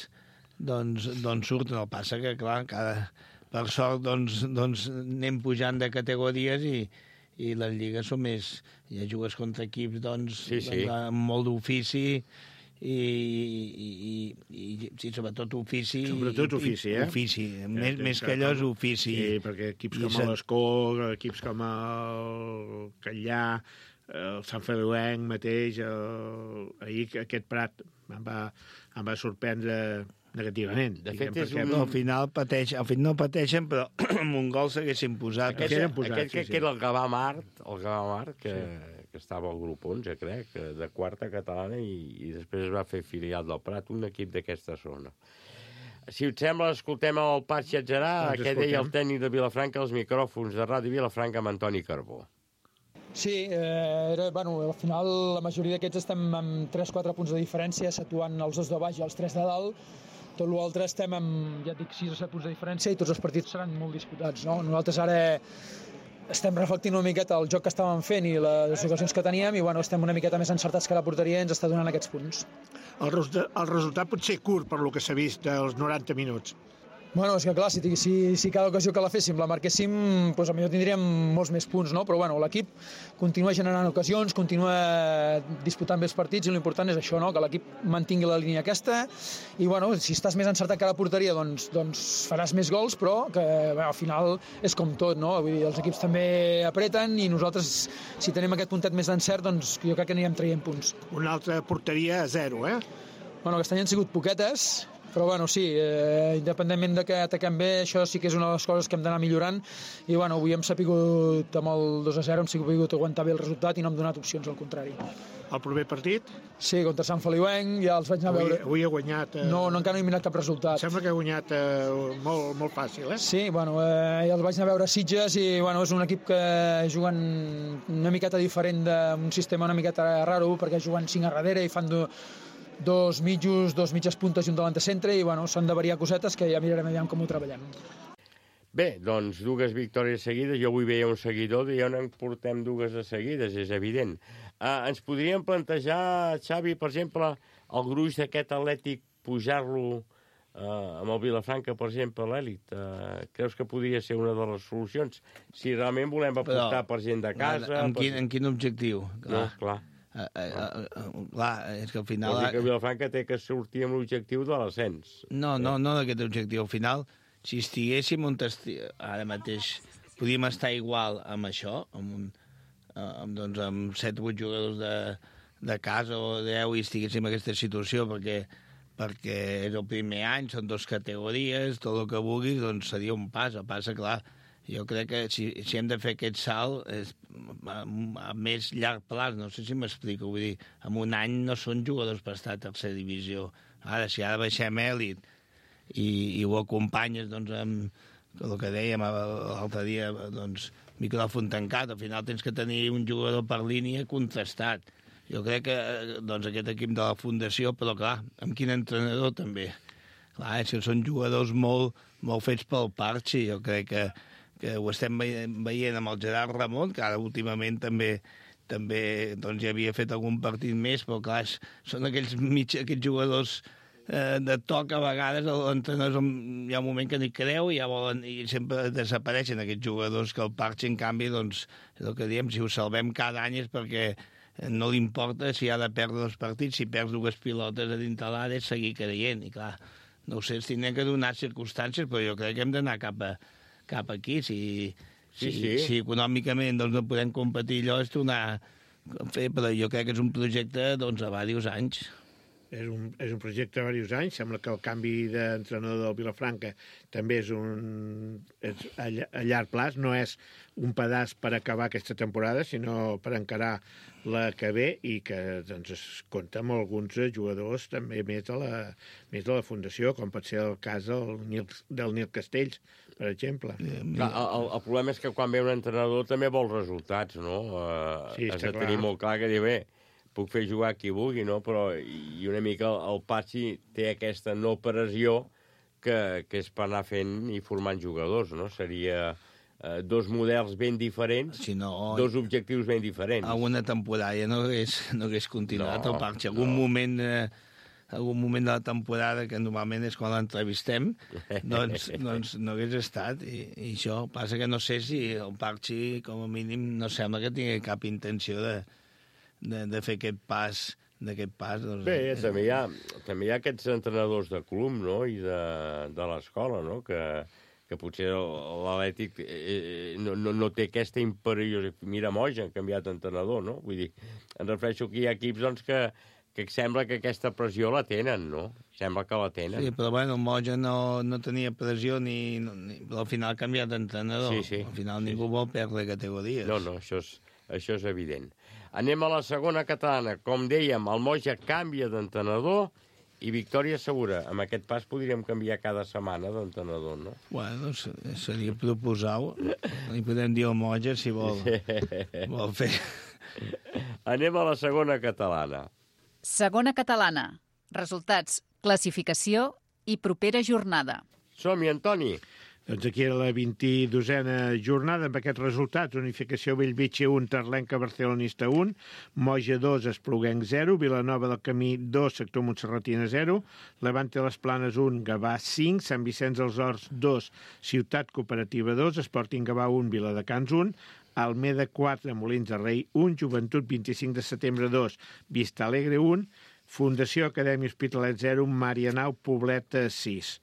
doncs, doncs surten. El passa que, clar, cada, per sort doncs, doncs anem pujant de categories i, i les lligues són més... Ja jugues contra equips doncs, Sí, sí. doncs amb molt d'ofici i, i, i, i sí, sobretot ofici. Sobretot ofici, eh? Ofici, més, Eh, més que allò és ofici. Sí, perquè equips I com se- l'Escó, equips com el Catllà, el Sant Feliuenc mateix, el... ahir aquest Prat em va, em va sorprendre negativament. De diguem, fet, és perquè- un- No, al final pateix, al final no pateixen, però amb un gol s'haguessin posat. Aquest, eren posats, aquest sí, crec sí. que era el Gavà Mart, el Gavà Mart, que, sí. que estava al grup onze, crec, de quarta catalana, i, i després es va fer filial del Prat, un equip d'aquesta zona. Si us sembla, escoltem el Patxi Atzerà, Doncs que deia el escoltem. tècnic de Vilafranca, als micròfons de Ràdio Vilafranca amb Antoni Carbó. Sí, eh, era, bueno, al final la majoria d'aquests estem amb tres quatre punts de diferència, situant els dos de baix i els tres de dalt. Tot l'altre estem amb, ja et dic, sis o set punts de diferència i tots els partits seran molt disputats, no? Nosaltres ara estem reflectint una miqueta el joc que estàvem fent i les ocasions que teníem i bueno, estem una miqueta més encertats que la porteria i ens està donant aquests punts. El, resultat, el resultat pot ser curt per lo que s'ha vist dels noranta minuts. Bueno, és que clar, si, si, si cada ocasió que la féssim la marquéssim, doncs potser tindríem molts més punts, no? Però bueno, l'equip continua generant ocasions, continua disputant bé els partits i l'important és això, no? Que l'equip mantingui la línia aquesta i bueno, si estàs més encertat que la porteria doncs, doncs faràs més gols, però que bé, al final és com tot, no? Vull dir, els equips també apreten i nosaltres, si tenim aquest puntet més d'encert, doncs jo crec que anirem traient punts. Una altra porteria a zero, eh? Bueno, aquest any han sigut poquetes, però bueno, sí, eh, independentment de que ataquem bé, això sí que és una de les coses que hem d'anar millorant i bueno, avui hem sapigut amb el dos a zero, hem sapigut aguantar bé el resultat i no hem donat opcions, al contrari. El proper partit, Sí, contra Sant Feliuenc ja els vaig anar a avui, veure. avui ha guanyat... Eh, No, no encara no he mirat cap resultat. Sembla que ha guanyat eh, molt, molt fàcil, eh? Sí, bueno, eh, ja els vaig anar a veure a Sitges i bueno, és un equip que juguen una miqueta diferent d'un sistema una miqueta raro perquè juguen cinc a darrere i fan do, dos mitjos, dos mitges puntes i un davant de centre i bueno, s'han de variar cosetes que ja mirarem aviam com ho treballem. Bé, doncs dues victòries seguides. Jo avui veia un seguidor i ja no en portem dues de seguides, és evident. Uh, ens podríem plantejar, Xavi, per exemple, el gruix d'aquest Atlètic, pujar-lo uh, amb el Vilafranca, per exemple, a l'èlit. Uh, creus que podria ser una de les solucions? Si realment volem apostar Però, per gent de casa... Amb per... quin, amb quin objectiu? No, clar. Uh, uh, uh, uh, clar, és que al final... Vol dir que Vilafranca té que sortir amb l'objectiu de l'ascens. No, no, no d'aquest objectiu. Al final, si estiguéssim on esti... ara mateix, podríem estar igual amb això, amb, un, amb, doncs, amb set o vuit jugadors de, de casa o deu i estiguéssim en aquesta situació, perquè, perquè és el primer any, són dues categories, tot el que vulguis, doncs seria un pas. El pas, clar, jo crec que si, si hem de fer aquest salt és a, a més llarg plaç, no sé si m'explico, vull dir, en un any no són jugadors per estar a tercera divisió. Ara, si ara baixem èlit i, i ho acompanyes doncs, amb el que dèiem l'altre dia, doncs, micròfon tancat, al final tens que tenir un jugador per línia contrastat. Jo crec que doncs, aquest equip de la Fundació, però clar, amb quin entrenador també. Clar, si són jugadors molt, molt fets pel Parchi, jo crec que que ho estem veient amb el Gerard Ramon, que ara últimament també també doncs, ja havia fet algun partit més, però clar, són aquells, mig, aquells jugadors eh, de toc a vegades, l'entrenador hi ha un moment que ni creu i ja volen, i sempre desapareixen aquests jugadors que el Parchi, en canvi, doncs, és el que diem, si ho salvem cada any és perquè no li importa si ha de perdre els partits, si perds dues pilotes a dintre l'àrea és seguir creient, i clar, no ho sé, es tindran que donar circumstàncies, però jo crec que hem d'anar cap a cap aquí, si, Sí, si, sí. si econòmicament doncs, no podem competir allò, és tornar a fer, però jo crec que és un projecte doncs, a diversos anys. és un, és un projecte de diversos anys. Sembla que el canvi d'entrenador del Vilafranca també és, un, és a, a llarg plaç, no és un pedaç per acabar aquesta temporada, sinó per encarar la que ve i que doncs, es compta amb alguns jugadors també més de la, més de la fundació, com pot ser el cas del Nil, del Nil Castells, per exemple. Clar, el, el problema és que quan ve un entrenador també vol resultats, no? Uh, Sí, has està de clar. tenir molt clar que dir, bé, puc fer jugar qui vulgui, no? Però i una mica el, el Patxi té aquesta no pressió que, que és per anar fent i formant jugadors, no? Seria eh, dos models ben diferents, Si no, dos objectius ben diferents. alguna temporada ja no hagués, no hagués continuat No, el Parc. Algun no. moment... Eh, algun moment de la temporada, que normalment és quan l'entrevistem, doncs, doncs no hagués estat. I, I això passa que no sé si el Parxi, com a mínim, no sembla que tingui cap intenció de, de, de fer aquest pas d'aquest pas. Doncs, Bé, eh, també hi ha, també hi ha aquests entrenadors de club, no?, i de, de l'escola, no?, que, que potser l'Atlètic eh, no, no, no té aquesta imperiositat. Mira, Moja han canviat d'entrenador, no? Vull dir, em refereixo que hi ha equips doncs, que, que sembla que aquesta pressió la tenen, no? Sembla que la tenen. Sí, però bueno, el Moja no, no tenia pressió ni, ni... Però al final ha canviat d'entrenador. Sí, sí. Al final Sí, ningú sí. vol perdre categories. No, no, això és, això és evident. Anem a la segona catalana. Com dèiem, el Moja canvia d'entrenador i victòria segura. Amb aquest pas podríem canviar cada setmana d'entrenador, no? Bueno, se- seria proposar-ho. Li podem dir al Moja si vol, vol fer... Anem a la segona catalana. Segona catalana. Resultats, classificació i propera jornada. Som-hi, Antoni. Doncs aquí era la vint-i-dosena jornada amb aquests resultats. Unificació Bellvitge un, Terlenca Barcelonista un, Moja dos, Espluguenc zero, Vilanova del Camí dos, Sector Montserratina zero, Levante les Planes un, Gavà cinc, Sant Vicenç dels Horts dos, Ciutat Cooperativa dos, Sporting Gavà un, Viladecans un, Almeda quatre, Molins de Rei un, Joventut vint-i-cinc de setembre dos, Vista Alegre un, Fundació Acadèmia Hospitalet zero, Marianao Poblet sis.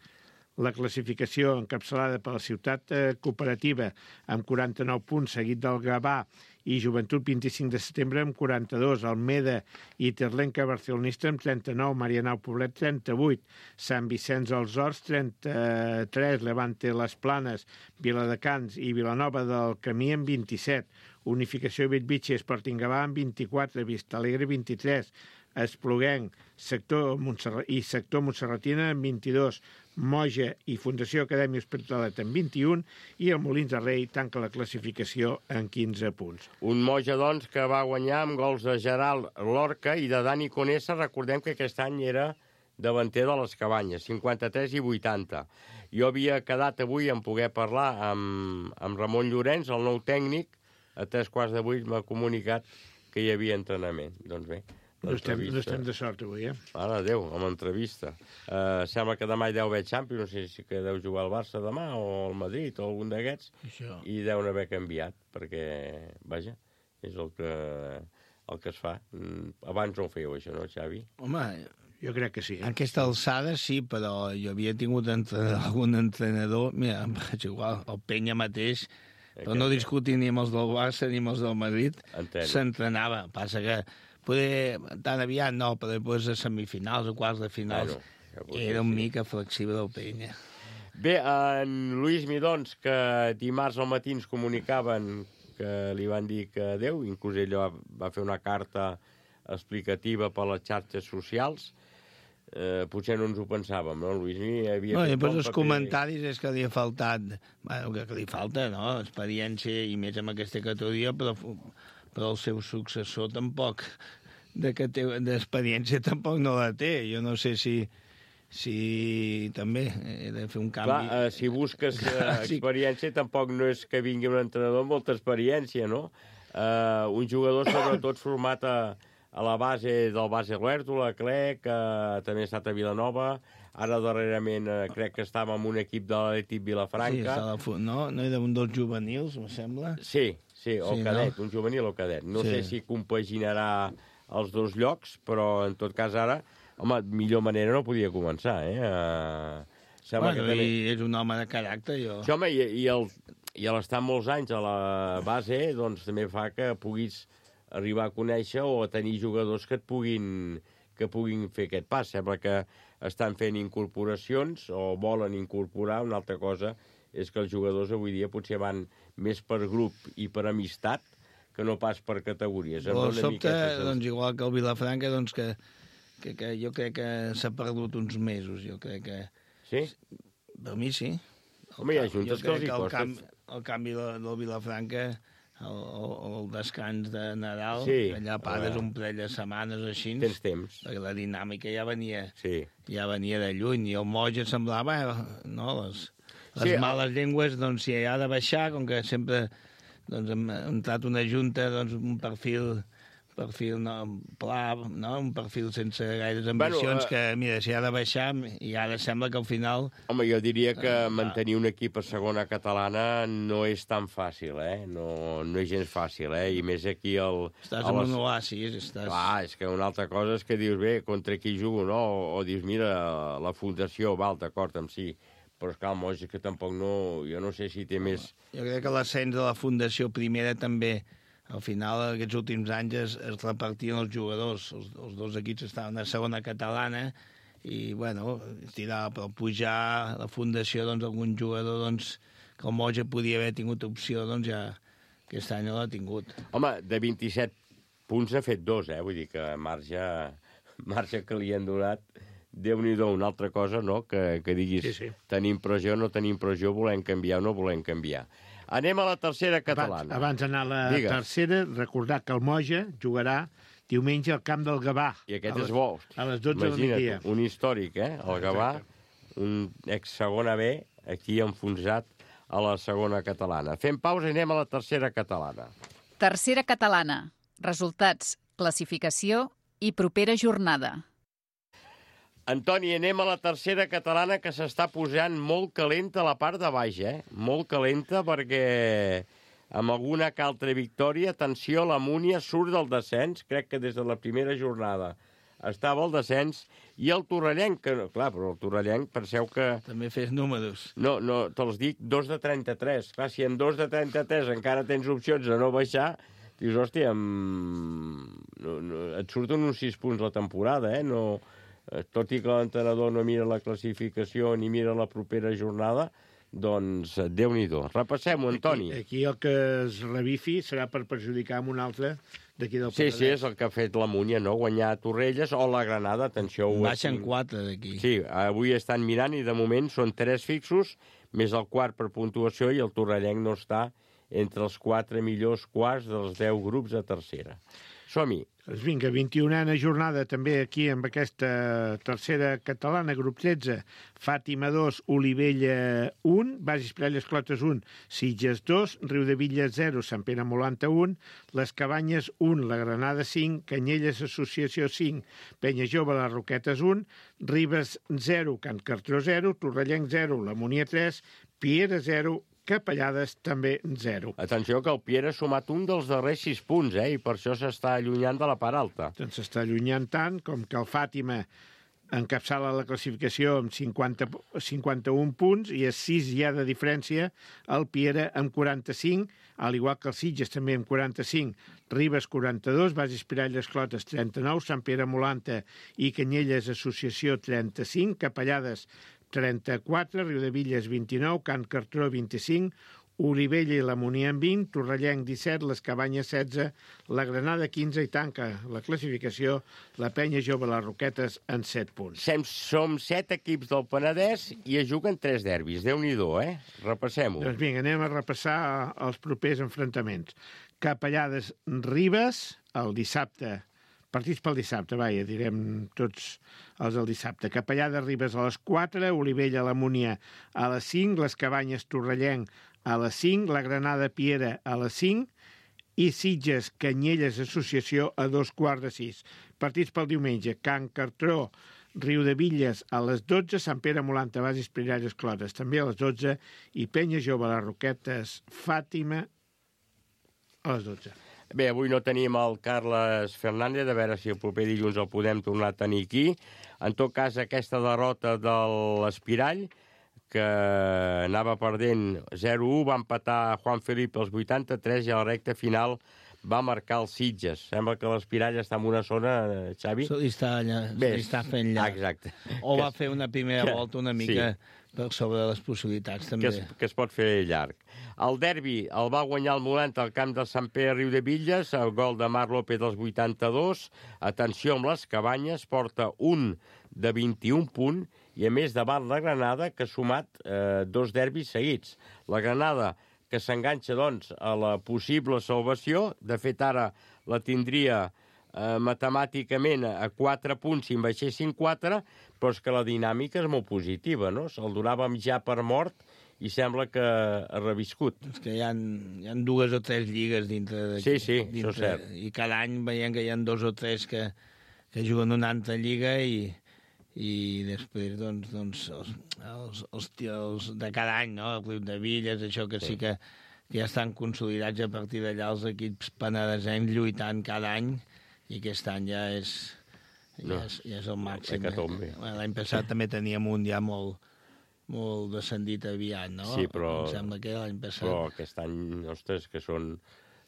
La classificació encapçalada per la Ciutat eh, Cooperativa amb quaranta-nou punts, seguit del Gavà i Joventut vint-i-cinc de setembre amb quaranta-dos, Almeda i Terlenca Barcelonista amb trenta-nou, Marianao Poblet trenta-vuit, Sant Vicenç dels Horts trenta-tres, Levante les Planes, Viladecans i Vilanova del Camí amb vint-i-set, Unificació Bellvitge Sporting Gavà amb vint-i-quatre, Vista Alegre vint-i-tres, Espluguenc sector Montserrat, i sector Montserratina amb vint-i-dos, Moja i Fundació Acadèmia Hospitalet amb vint-i-un i el Molins de Rei tanca la classificació en quinze punts. Un Moja, doncs, que va guanyar amb gols de Gerald Lorca i de Dani Conesa. Recordem que aquest any era davanter de les Cabanyes, cinquanta-tres i vuitanta. Jo havia quedat avui en poder parlar amb, amb Ramon Llorenç, el nou tècnic. A tres quarts de vuit m'ha comunicat que hi havia entrenament. Doncs bé, No estem, no l'entrevista. estem de sort avui, eh? Mare de Déu, amb entrevista. Uh, sembla que demà hi deu haver Champions, no sé si que deu jugar el Barça demà o el Madrid o algun d'aquests, Això. i deuen haver canviat, perquè, vaja, és el que, el que es fa. Mm, Abans no ho fèieu, això, no, Xavi? Home, Jo crec que sí. a aquesta alçada sí, però jo havia tingut entrenador, algun entrenador, mira, és igual, el Penya mateix, però no discutir ni amb els del Barça ni amb els del Madrid, Entenc. s'entrenava. Passa que poder, tan aviat no, però després a semifinals o quarts de finals Bueno, ja potser era una sí. mica flexible el Penya. Bé, en Lluís Midons, que dimarts al matí ens comunicaven que li van dir que adéu, inclús ell va, va fer una carta explicativa per les xarxes socials. Eh, potser no ens ho pensàvem, no, Lluís? Hi havia No, i fet després bon els paper. comentaris és que li ha faltat, bueno, que, que li falta, no?, experiència i més amb aquesta categoria, però, però el seu successor tampoc, de que té d'experiència tampoc no la té. Jo no sé si, si també he de fer un canvi. Clar, eh, si busques eh, Sí. experiència, tampoc no és que vingui un entrenador amb molta experiència, no? Eh, un jugador, sobretot, format a, a la base del base Huerto, Clec, que també ha estat a Vilanova, ara darrerament eh, crec que estava en un equip de l'Atlètic Sí, Vilafranca. està la fu- no, no era un dels juvenils, em sembla. Sí, sí, o Sí, cadet, no? un juvenil o cadet. No Sí. sé si compaginarà els dos llocs, però en tot cas ara, home, millor manera no podia començar, eh? Uh, sembla Bueno, que també... i és un home de caràcter, jo. Sí, home, i, i, el, i a l'estar molts anys a la base, doncs també fa que puguis arribar a conèixer o a tenir jugadors que et puguin, que puguin fer aquest pas. Sembla que estan fent incorporacions o volen incorporar. Una altra cosa és que els jugadors avui dia potser van més per grup i per amistat que no pas per categories. O sobte, doncs, igual que el Vilafranca, doncs que, que, que jo crec que s'ha perdut uns mesos, jo crec que... Sí? Per mi sí. El Home, hi ha juntes que els hi costa. El, canvi, el canvi del Vilafranca, el, el, el descans de Nadal, sí, allà pares un parell de setmanes així. Tens temps. Perquè la dinàmica ja venia, sí. ja venia de lluny, i el Moja semblava, no, les, les sí, males el... llengües, doncs, si ha de baixar, com que sempre... doncs hem entrat una junta, doncs, un perfil, perfil no, pla, no? Un perfil sense gaires ambicions, bueno, uh... que, mira, si ha de baixar, i ara sembla que al final... Home, jo diria que uh, mantenir un equip a segona catalana no és tan fàcil, eh? No, no és gens fàcil, eh? I més aquí el... Estàs en les... un oasis, estàs... Clar, és que una altra cosa és que dius, bé, contra qui jugo, no? O, o dius, mira, la fundació, val, d'acord amb sí, però és que el Moix que tampoc no... Jo no sé si té més... Jo crec que l'ascens de la Fundació Primera també, al final, aquests últims anys es, es repartien els jugadors. Els, els dos equips estaven a segona catalana i, bueno, tirar per pujar la Fundació, doncs, algun jugador, doncs, que el Moix podia haver tingut opció, doncs, ja aquest any no l'ha tingut. Home, de vint-i-set punts n'ha fet dos, eh? Vull dir que marge, marge que li han donat... Déu-n'hi-do, una altra cosa, no?, que, que diguis sí, sí. Tenim pressió, no tenim pressió, volem canviar o no volem canviar. Anem a la tercera catalana. Abans, abans d'anar a la Digues. tercera, recordar que el Moja jugarà diumenge al camp del Gavà. I aquest les, és bo. A les dotze del migdia. Un històric, eh?, el Gavà, un ex-segona B, aquí enfonsat a la segona catalana. Fem pausa i anem a la tercera catalana. Tercera catalana. Resultats, classificació i propera jornada. Antoni, anem a la tercera catalana, que s'està posant molt calenta a la part de baix, eh? Molt calenta perquè amb alguna que altra victòria, atenció, la Múnia surt del descens, crec que des de la primera jornada estava al descens, i el Torrellenc, que, clar, però el Torrellenc, penseu que... També fes números. No, no, te'ls dic, dos de trenta-tres. Clar, si en dos de trenta-tres encara tens opcions de no baixar, dius, hòstia, amb... no, no, et surten uns sis punts la temporada, eh? No... Tot i que l'entrenador no mira la classificació ni mira la propera jornada, doncs Déu-n'hi-do. Repassem-ho, Antoni. Aquí, aquí el que es revifi serà per perjudicar amb un altre d'aquí del Penedès. Sí, sí, és el que ha fet la Múnia, no? Guanyar a Torrelles o la Granada, atenció. Baixen quatre d'aquí. Sí, avui estan mirant i de moment són tres fixos, més el quart per puntuació, i el Torrellenc no està entre els quatre millors quarts dels deu grups de tercera. Som-hi. Doncs vinga, vint-i-unena jornada també aquí amb aquesta tercera catalana, grup tretze, Fàtima dos, Olivella un, Bages Piralles Clotes un, Sitges dos, Riudebitlles zero, Sant Pere Molanta un, Les Cabanyes un, La Granada cinc, Canyelles Associació cinc, Penya Jove Les Roquetes un, Ribes zero, Can Cartró zero, Torrellenc zero, La Múnia tres, Piera zero, Capellades també zero. Atenció que el Piera ha sumat un dels darrers sis punts, eh? I per això s'està allunyant de la part alta. Doncs s'està allunyant tant com que el Fàtima encapçala la classificació amb cinquanta, cinquanta-un punts i a sis hi ha de diferència el Piera amb quaranta-cinc, al igual que el Sitges també amb quaranta-cinc, Ribes quaranta-dos, Bages Piralles Clotes trenta-nou, Sant Pere Molanta i Canyelles Associació trenta-cinc, Capellades trenta-quatre, Riudebitlles vint-i-nou, Can Cartró vint-i-cinc, Olivella i la Múnia en vint, Torrellenc disset, Les Cabanyes setze, la Granada quinze i tanca la classificació la Penya Jove Les Roquetes en set punts. Sem, som set equips del Penedès i es juguen tres derbis. Déu-n'hi-do, eh? Repassem-ho. Doncs vinga, anem a repassar els propers enfrontaments. Capellades Ribes, el dissabte, partits pel dissabte, vaja, direm tots els del dissabte. Capellades Ribes a les quatre, Olivella la Múnia a les cinc, Les Cabanyes Torrellenc a les cinc, la Granada Piera a les cinc i Sitges Canyelles Associació a dos quarts de sis. Partits pel diumenge, Can Cartró, Riudebitlles a les dotze, Sant Pere Molanta, Bages Piralles Clotes també a les dotze i Penya Jove Les Roquetes Fàtima a les dotze. Bé, avui no tenim el Carles Fernández, a veure si el proper dilluns el podem tornar a tenir aquí. En tot cas, aquesta derrota de l'Espirall, que anava perdent zero a u, va empatar Juan Felipe als vuitanta-tres i a la recta final va marcar el Sitges. Sembla que l'Espirall està en una zona, Xavi... Se li està, allà, se li està fent llarg. Exacte. O va fer una primera que, volta una mica sí. per sobre les possibilitats, també. Que es, que es pot fer llarg. El derbi el va guanyar el Molent al camp de Sant Pere Riudebitlles, el gol de Marc López dels vuitanta-dos. Atenció amb les Cabanyes, porta un de vint-i-un punt, i a més davant la Granada, que ha sumat eh, dos derbis seguits. La Granada, que s'enganxa, doncs, a la possible salvació. De fet, ara la tindria eh, matemàticament a quatre punts si en baixessin quatre, però és que la dinàmica és molt positiva, no? Se'l donàvem ja per mort i sembla que ha reviscut. És que hi ha, hi ha dues o tres lligues dintre... De, sí, sí, dintre, això és cert. I cada any veiem que hi ha dos o tres que, que juguen una altra lliga i, i després, doncs, doncs els, els, els, els de cada any, no? El Club de Villes, això que sí, sí que, que ja estan consolidats a partir d'allà els equips penedesencs lluitant cada any, i aquest any ja és, ja no, és, ja és el màxim. Eh? L'any passat també teníem un ja molt, molt descendit aviat, no? Sí, però... Em sembla que l'any passat... Però aquest any, ostres, que són,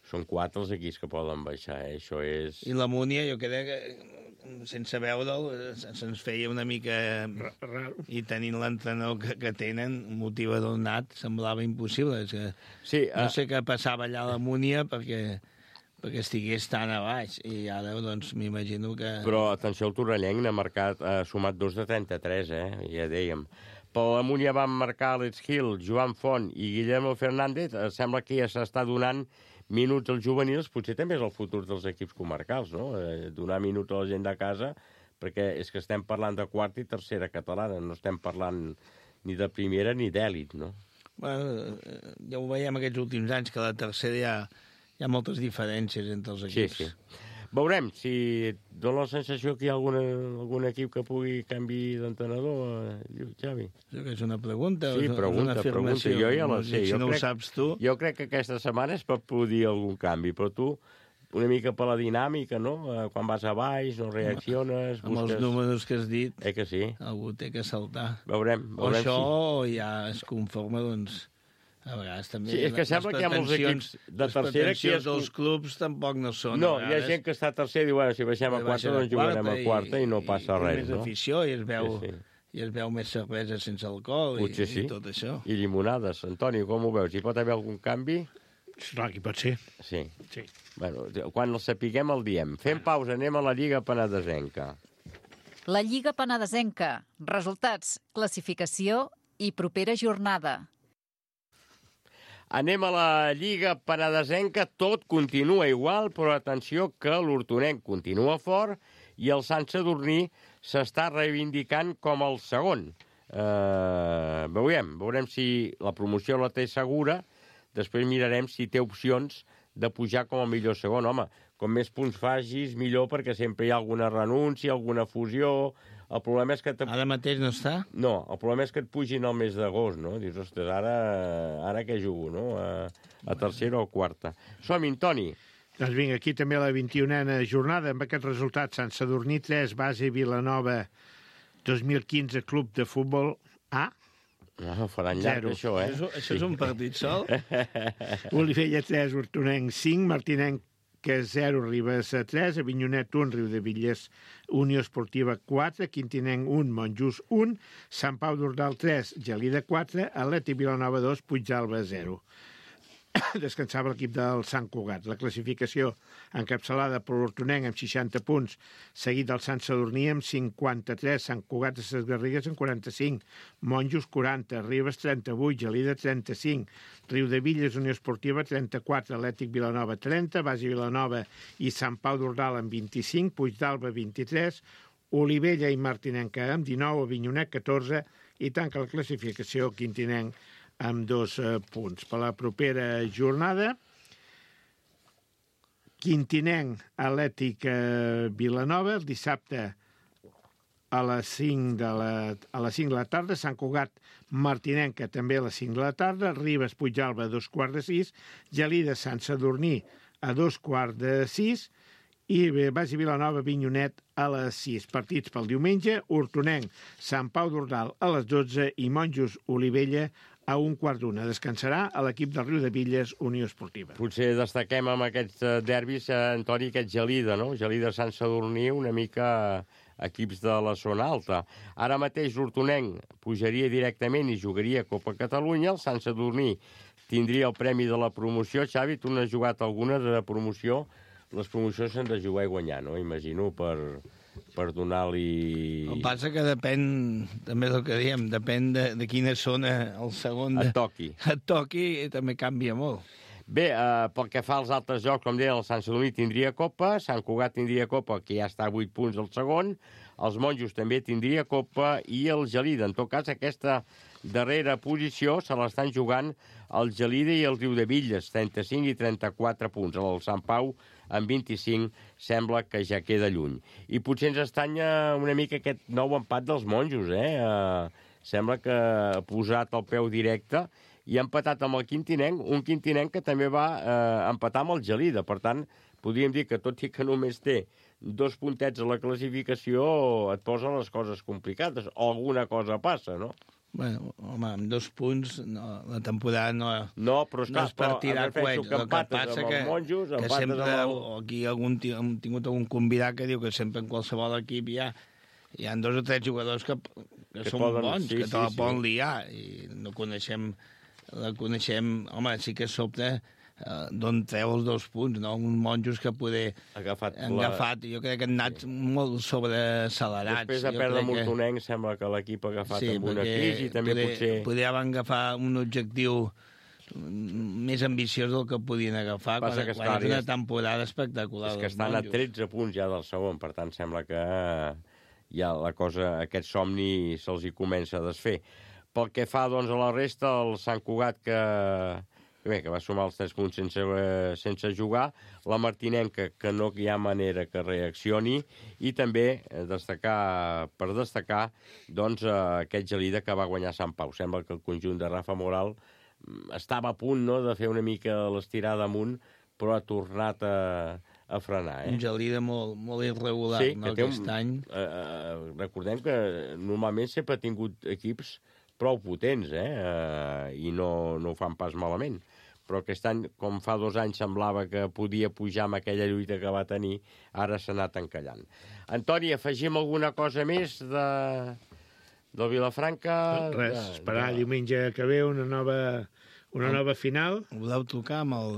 són quatre els equips que poden baixar, eh? Això és... I la Múnia, jo crec que, sense veure'l, se'ns feia una mica... Raro. I tenint l'entrenador que, que tenen, un motivador nat, semblava impossible. És que sí, no uh... sé què passava allà a la Múnia perquè... perquè estigués tan a baix, i ara, doncs, m'imagino que... Però, atenció, el Torrellenc n'ha marcat, ha sumat dos de trenta-tres, eh? Ja dèiem. Per la Múnia van marcar Alex Gil, Joan Font i Guillermo Fernández. Sembla que ja s'està donant minuts als juvenils, potser també és el futur dels equips comarcals, no? Eh, donar minuts a la gent de casa, perquè és que estem parlant de quarta i tercera catalana, no estem parlant ni de primera ni d'èlit, no? Bueno, ja ho veiem aquests últims anys, que a la tercera ja... Hi ha moltes diferències entre els equips. Sí, sí. Veurem si dona la sensació que hi ha alguna, algun equip que pugui canvi d'entrenador, Xavi. Això que és una pregunta? Sí, o és pregunta, una pregunta. Jo ja la sé. Si jo no crec, ho saps tu... Jo crec que aquesta setmana es pot produir algun canvi, però tu, una mica per la dinàmica, no? Quan vas a baix, no reacciones... Amb busques... els números que has dit, eh que sí? algú té que saltar. Veurem, veurem o això si... ja es conforma, doncs... A vegades també... Sí, és que sembla que hi ha molts equips de tercera que... Les dels clubs tampoc no són. No, hi ha gent que està a tercera i diu, bueno, si baixem a quarta, doncs jugarem a quarta i no passa res, no? I més afició, i es veu... Sí, sí. I es veu més cervesa sense alcohol i, sí. i tot això. I llimonades. Antoni, com ho veus? Hi pot haver algun canvi? Esclar, que pot ser. Sí. Sí. Bueno, quan el sapiguem el diem. Fem pausa, anem a la Lliga Penedesenca. La Lliga Penedesenca. Resultats, classificació i propera jornada. Anem a la Lliga Penedesenca, tot continua igual, però atenció que l'Hortonenc continua fort i el Sant Sadurní s'està reivindicant com el segon. Uh, veurem, veurem si la promoció la té segura, després mirarem si té opcions de pujar com a millor segon. Home, com més punts facis, millor, perquè sempre hi ha alguna renúncia, alguna fusió... El problema és que... Te... Ara mateix no està? No, el problema és que et pugin al mes d'agost, no? Dius, ostres, ara, ara què jugo, no? A, a tercera o quarta. Som-hi, Toni. Doncs vinga, aquí també la vint-i-unena jornada, amb aquest resultat, Sant Sadurní tres, Base Vilanova dos mil quinze, Club de Futbol A. No, faran llarg, Zero. això, eh? Això, això és un partit sol? Olivella tres, Hortonenc cinc, Martinenc que zero, Ribes tres, Avinyonet un, Riudebitlles, Unió Esportiva quatre, Quintinenc un, Montjús un, Sant Pau d'Ordal tres, Gelida quatre, Atlètic Vilanova dos, Puigdàlber zero. Descansava l'equip del Sant Cugat. La classificació encapçalada per l'Hortonenc amb seixanta punts, seguit del Sant Sadurní amb cinquanta-tres, Sant Cugat de ses Garrigues amb quaranta-cinc, Monjos quaranta, Ribes trenta-vuit, Gelida trenta-cinc, Riudebitlles, Unió Esportiva trenta-quatre, Atlètic Vilanova trenta, Base Vilanova i Sant Pau d'Ordal amb vint-i-cinc, Puigdàlber vint-i-tres, Olivella i Martinenc amb dinou, Avinyonet catorze i tanca la classificació Quintinenc amb dos eh, punts. Per la propera jornada, Quintinenc, Atlètic eh, Vilanova, el dissabte a les cinc de la, a les cinc de la tarda, Sant Cugat, Martinenca, també a les cinc de la tarda, Ribes, Puigdàlber, a dos quarts de sis, Gelida, Sant Sadurní, a dos quarts de sis, i Base Vilanova, Avinyonet, a les sis. Partits pel diumenge, Hortonenc, Sant Pau d'Ordal, a les dotze, i Monjos, Olivella, a un quart d'una. Descansarà a l'equip del Riudebitlles Unió Esportiva. Potser destaquem amb aquests eh, derbis, eh, Antoni, aquest Gelida, no? Gelida Sant Sadurní, una mica equips de la zona alta. Ara mateix l'Hortonenc pujaria directament i jugaria Copa Catalunya, el Sant Sadurní tindria el premi de la promoció. Xavi, tu n'has jugat algunes de promoció. Les promocions s'han de jugar i guanyar, no? Imagino, per, per donar-li... El que passa que depèn, també del que diem, depèn de, de quina zona el segon... De... Et toqui. Et toqui i també canvia molt. Bé, eh, pel que fa als altres jocs, com deia, el Sant Sadurní tindria Copa, Sant Cugat tindria Copa, que ja està a vuit punts al segon, els Monjos també tindria Copa i el Gelida. En tot cas, aquesta darrera posició se l'estan jugant el Gelida i el Riudebitlles, trenta-cinc i trenta-quatre punts. El Sant Pau, amb vint-i-cinc, sembla que ja queda lluny. I potser ens estanya una mica aquest nou empat dels Monjos, eh? eh sembla que ha posat el peu directe i ha empatat amb el Quintinenc, un Quintinenc que també va eh, empatar amb el Gelida. Per tant, podríem dir que tot i que només té dos puntets a la classificació, et posa les coses complicades. O alguna cosa passa, no? Bueno, home, amb dos punts no, la temporada no, no, però, esclar, no és per tirar coet. Que el que passa amb els monjos, que sempre el... aquí algun, hem tingut algun convidat que diu que sempre en qualsevol equip hi ha, hi ha dos o tres jugadors que, que, que són poden, bons, sí, que te sí, la sí. poden liar, i no coneixem, la coneixem, home, sí que sobte uh, d'on treu els dos punts, no? Uns monjos que poder agafat, han agafat, la... jo crec que han anat sí. molt sobreaccelerats. Després de perdre amb Hortonenc, que... sembla que l'equip ha agafat sí, amb una crisi, també poder, potser... Podria agafar un objectiu més ambiciós del que podien agafar quan, que quan és una temporada espectacular. És que estan a tretze punts ja del segon, per tant sembla que ja la cosa, aquest somni se'ls hi comença a desfer. Pel que fa doncs, a la resta, el Sant Cugat que, bé, que va sumar els tres punts sense, sense jugar, la Martinenca, que no hi ha manera que reaccioni, i també destacar, per destacar doncs, aquest Gelida que va guanyar Sant Pau. Sembla que el conjunt de Rafa Moral estava a punt, no?, de fer una mica l'estirada amunt, però ha tornat a, a frenar. Eh? Un Gelida molt, molt irregular, sí, no, aquest un, any. Eh, eh, recordem que normalment sempre ha tingut equips prou potents, eh? eh i no, no ho fan pas malament. Però aquest any, com fa dos anys semblava que podia pujar amb aquella lluita que va tenir, ara s'ha anat encallant. Antoni, afegim alguna cosa més de, del Vilafranca? Res, de, esperar de... diumenge que ve una nova... Una nova final. Voleu trucar amb el,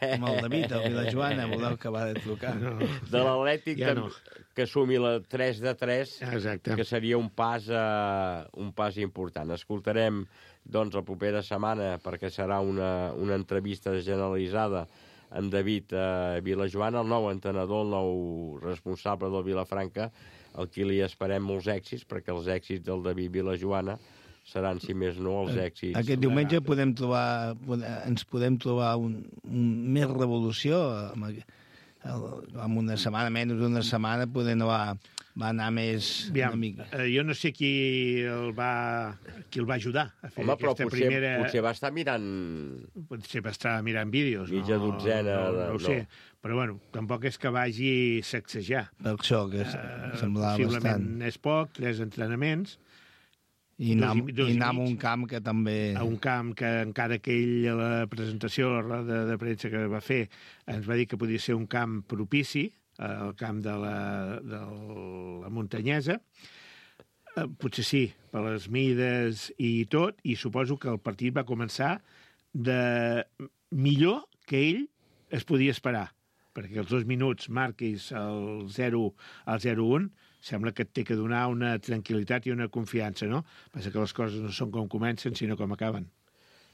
amb el David, el Vilajoana, voleu acabar de trucar. No. De l'Atlètic, ja no. Que sumi la tres de tres, exacte, que seria un pas, uh, un pas important. Escoltarem doncs, la propera setmana, perquè serà una, una entrevista generalitzada amb David uh, Vilajoana, el nou entrenador, el nou responsable del Vilafranca, al qui li esperem molts èxits, perquè els èxits del David Vilajoana seran, si més no, els èxits. Aquest diumenge podem trobar, ens podem trobar un, un, més revolució. En una setmana, menys d'una setmana, poder no va, va anar més Aviam, una mica. Eh, jo no sé qui el va, qui el va ajudar a fer Home, aquesta potser, primera... potser va estar mirant... Potser va estar mirant vídeos. Mitja no, dotzena... No, no, no ho sé. No. Però, bueno, tampoc és que vagi a sacsejar. Per això, que uh, semblava possiblement bastant. Possiblement és poc, tres entrenaments... I anar, dos, dos i anar a un camp que també... A un camp que encara que ell a la presentació, a la roda de premsa que va fer, ens va dir que podia ser un camp propici, el camp de la, de la muntanyesa. Potser sí, per les mides i tot, i suposo que el partit va començar de millor que ell es podia esperar, perquè els dos minuts marquis el zero al zero un, sembla que et té que donar una tranquil·litat i una confiança, no? Passa que les coses no són com comencen, sinó com acaben.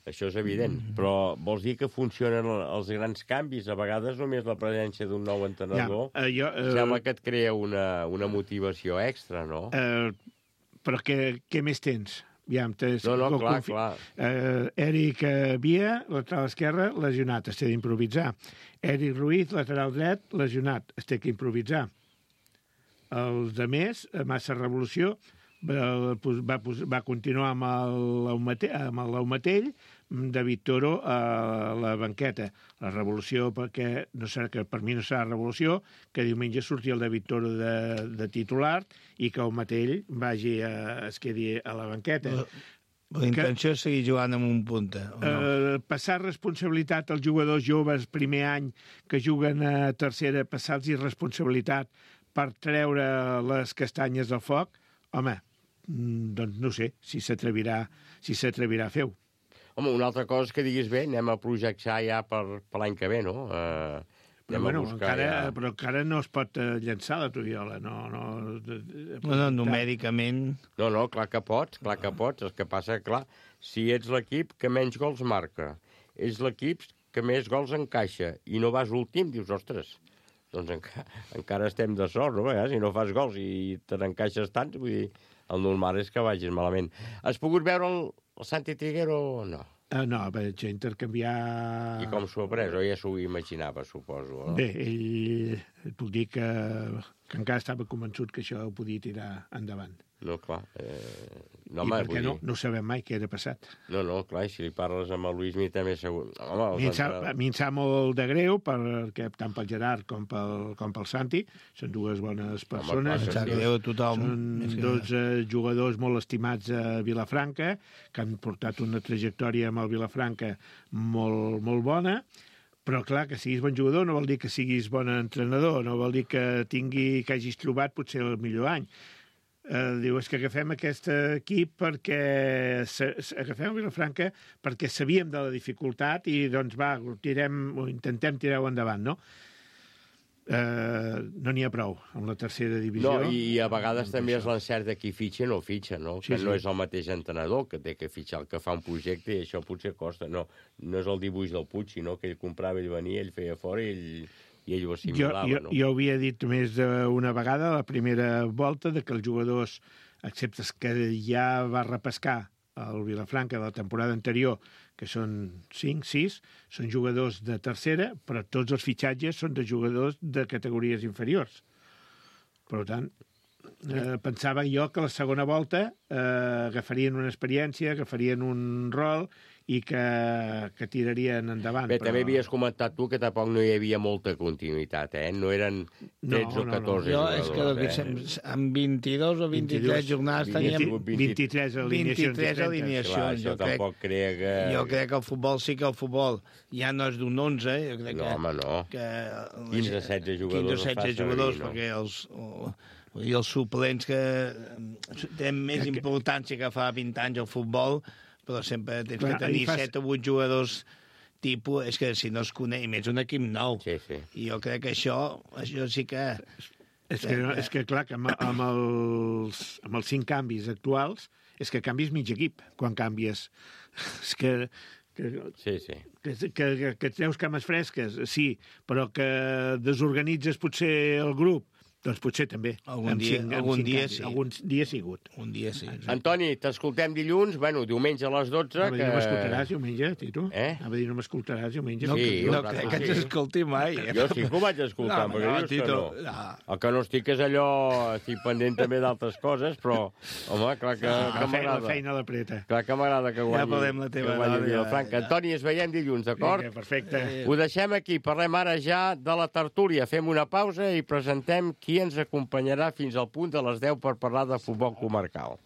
Això és evident, mm. però vols dir que funcionen els grans canvis? A vegades només la presència d'un nou entrenador ja, uh, jo, uh, sembla que et crea una, una motivació extra, no? Uh, però què, què més tens? Ja, no, no, clar, confi... clar. Uh, Eric Via, lateral esquerre, lesionat, es té d'improvisar. Eric Ruiz, lateral dret, lesionat, es té que improvisar. Els de més, Massa Revolució, va, va, va continuar amb el Laumatell, David Toro a la banqueta. La Revolució, perquè no serà, que per mi no serà Revolució, que diumenge surti el David Toro de, de titular i que el Matell vagi a, es quedi a la banqueta. La intenció és seguir jugant amb un punta. O no? Eh, passar responsabilitat als jugadors joves primer any que juguen a tercera, passar-los responsabilitat per treure les castanyes del foc, home, doncs no sé si s'atrevirà si s'atrevirà a fer-ho. Home, una altra cosa és que diguis, bé, anem a projectar ja per, per l'any que ve, no? Eh, però, bueno, encara, ja... però encara no es pot llançar la tovallola, no... No, no, no numèricament... No, no, clar que pots, clar que pots. El que passa, clar, si ets l'equip que menys gols marca, ets l'equip que més gols encaixa, i no vas últim, dius, ostres, doncs enca encara estem de sort, no? Eh? Si no fas gols i te n'encaixes tants, vull dir, el normal és que vagis malament. Has pogut veure el, el Santi Triguero o no? Uh, no, vaig intercanviar... I com s'ho ha pres? O ja s'ho imaginava, suposo? No? Bé, ell et puc dir que, que encara estava convençut que això ho podia tirar endavant. No, clar. Eh... No, I home, perquè no, no sabem mai què era passat. No, no, clar, si li parles amb el Luis, mi també segur... Home, a, mi sap, a mi em sap molt de greu, perquè tant pel Gerard com pel, com pel Santi, són dues bones persones. Home, clar, sí. Greu a tothom. Són dos eh, jugadors molt estimats a Vilafranca, que han portat una trajectòria amb el Vilafranca molt, molt bona, però clar, que siguis bon jugador no vol dir que siguis bon entrenador, no vol dir que tingui, que hagis trobat potser el millor any. Uh, diu, és que agafem aquest equip perquè agafem el Vilafranca perquè sabíem de la dificultat i doncs va, tirem, o intentem tirar-ho endavant, no? Uh, no n'hi ha prou amb la tercera divisió. No, i a vegades no, també és l'encert de qui fitxa o no fitxa, no? Sí, que sí. No és el mateix entrenador que té que fitxar el que fa un projecte i això potser costa. No, no és el dibuix del Puig, sinó que ell comprava, ell venia, ell feia fora i ell... i ell ho assimilava, jo, jo, no? Jo havia dit més d'una vegada, la primera volta, de que els jugadors, excepte que ja va repescar el Vilafranca de la temporada anterior, que són cinc, sis, són jugadors de tercera, però tots els fitxatges són de jugadors de categories inferiors. Per tant, eh, pensava jo que la segona volta eh, agafarien una experiència, agafarien un rol i que, que tirarien endavant. Bé, però... també havies comentat tu que tampoc no hi havia molta continuïtat, eh? No eren tretze o catorze no, no. jugadors. Jo és que eh? amb vint-i-dos o vint-i-tres jornades teníem... vint-i-tres alineacions. vint-i-tres alineacions. Clar, això tampoc crea que... Jo crec que el futbol sí que el futbol ja no és d'un onze, jo crec no, que... home, no. Que quinze o setze jugadors quinze o setze jugadors, no? Perquè els... I els suplents que tenen més importància que fa vint anys al futbol, però sempre tens Clar, que tenir fas... set o vuit jugadors tipus, és que si no es coneix, i més un equip nou. Sí, sí. I jo crec que això, això sí que... És que, que... és que clar, que amb, amb, els, amb els cinc canvis actuals, és que canvis mig equip quan canvies. És que... Que, sí, sí. Que, que, que, que et treus cames fresques, sí, però que desorganitzes potser el grup, doncs potser també. Algun dia, cinc, algun dia canvis. sí. Algun dia ha sigut. Un dia sí. Antoni, t'escoltem dilluns, bueno, diumenge a les dotze. Anava que... no m'escoltaràs diumenge, Tito? Eh? Anava a dir no m'escoltaràs diumenge. No, sí, no crec que ens escolti mai. Eh? Jo sí que ho vaig escoltar, no, però no, dius Tito, que no. no. El que no estic és allò, estic pendent també d'altres coses, però, home, clar que, ah, que m'agrada. La feina l'apreta. Clar que m'agrada que guanyi. Ja podem la teva Vilafranca. Antoni, ens veiem dilluns, d'acord? Perfecte. Ho deixem aquí, parlem ara ja de la tertúlia. Fem una pausa i presentem qui ens acompanyarà fins al punt de les deu per parlar de futbol comarcal.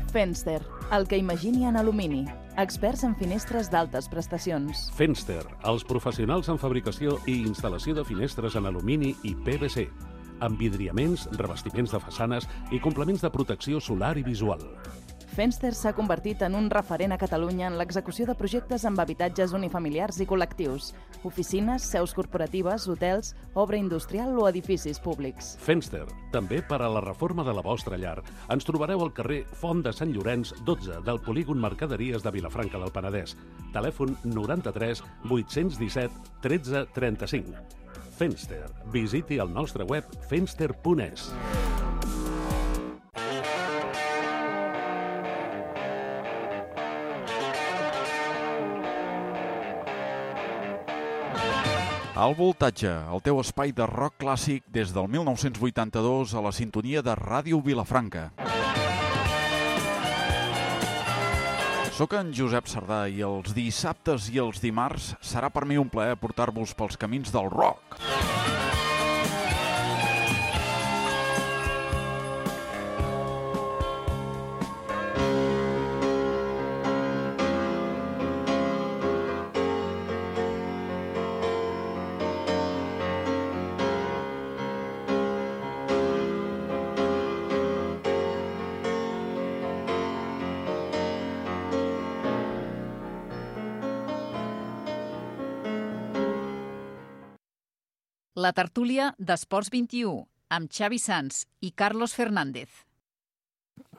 Fenster, el que imagini en alumini. Experts en finestres d'altes prestacions. Fenster, els professionals en fabricació i instal·lació de finestres en alumini i P V C, amb vidriaments, revestiments de façanes i complements de protecció solar i visual. Fenster s'ha convertit en un referent a Catalunya en l'execució de projectes amb habitatges unifamiliars i col·lectius, oficines, seus corporatives, hotels, obra industrial o edificis públics. Fenster, també per a la reforma de la vostra llar. Ens trobareu al carrer Font de Sant Llorenç, dotze, del polígon Mercaderies de Vilafranca del Penedès. Telèfon noranta-tres vuit-cents disset tretze trenta-cinc. Fenster. Visiti el nostre web fenster punt es. Al voltatge, el teu espai de rock clàssic des del mil nou-cents vuitanta-dos a la sintonia de Ràdio Vilafranca. Soc en Josep Sardà i els dissabtes i els dimarts serà per mi un plaer portar-vos pels camins del rock. la tertúlia d'Esports vint-i-u, amb Xavi Sans i Carlos Fernández.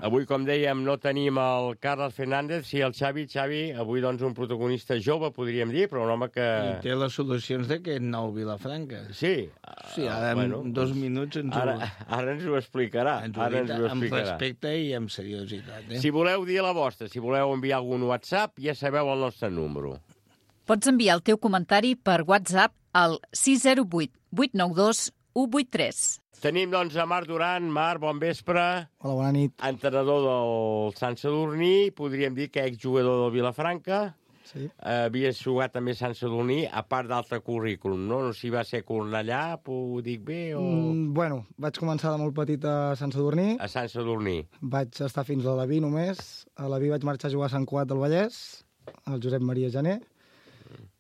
Avui, com dèiem, no tenim el Carlos Fernández, sí el Xavi. Xavi, avui doncs un protagonista jove, podríem dir, però un home que... I té les solucions d'aquest nou Vilafranca. Sí. Sí, ara en bueno, dos minuts ens ara, ho... Ara ens ho explicarà. Ens ho, ara ens ho amb respecte i amb seriositat. Eh? Si voleu dir la vostra, si voleu enviar algun WhatsApp, ja sabeu el nostre número. Pots enviar el teu comentari per WhatsApp al sis zero vuit vuit nou dos u vuit tres. Tenim, doncs, a Marc Duran. Marc, bon vespre. Hola, bona nit. Entrenador del Sant Sadurní, podríem dir que exjugador del Vilafranca. Sí. Uh, havies jugat també a Sant Sadurní, a part d'altre currículum, no? No sé si va ser Cornellà, ho dic bé, o... Mm, bueno, vaig començar de molt petit a Sant Sadurní. A Sant Sadurní. Vaig estar fins a l'Aví només. A l'Aví vaig marxar a jugar a Sant Cugat del Vallès, al Josep Maria Janer,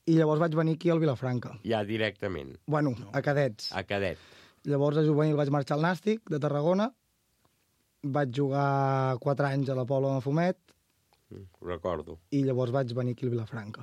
i llavors vaig venir aquí al Vilafranca. Ja, directament. Bueno, a cadets. A cadet. Llavors, a juvenil vaig marxar al Nàstic, de Tarragona. Vaig jugar quatre anys a la Pobla de Mafumet. Mm, ho recordo. I llavors vaig venir aquí al Vilafranca.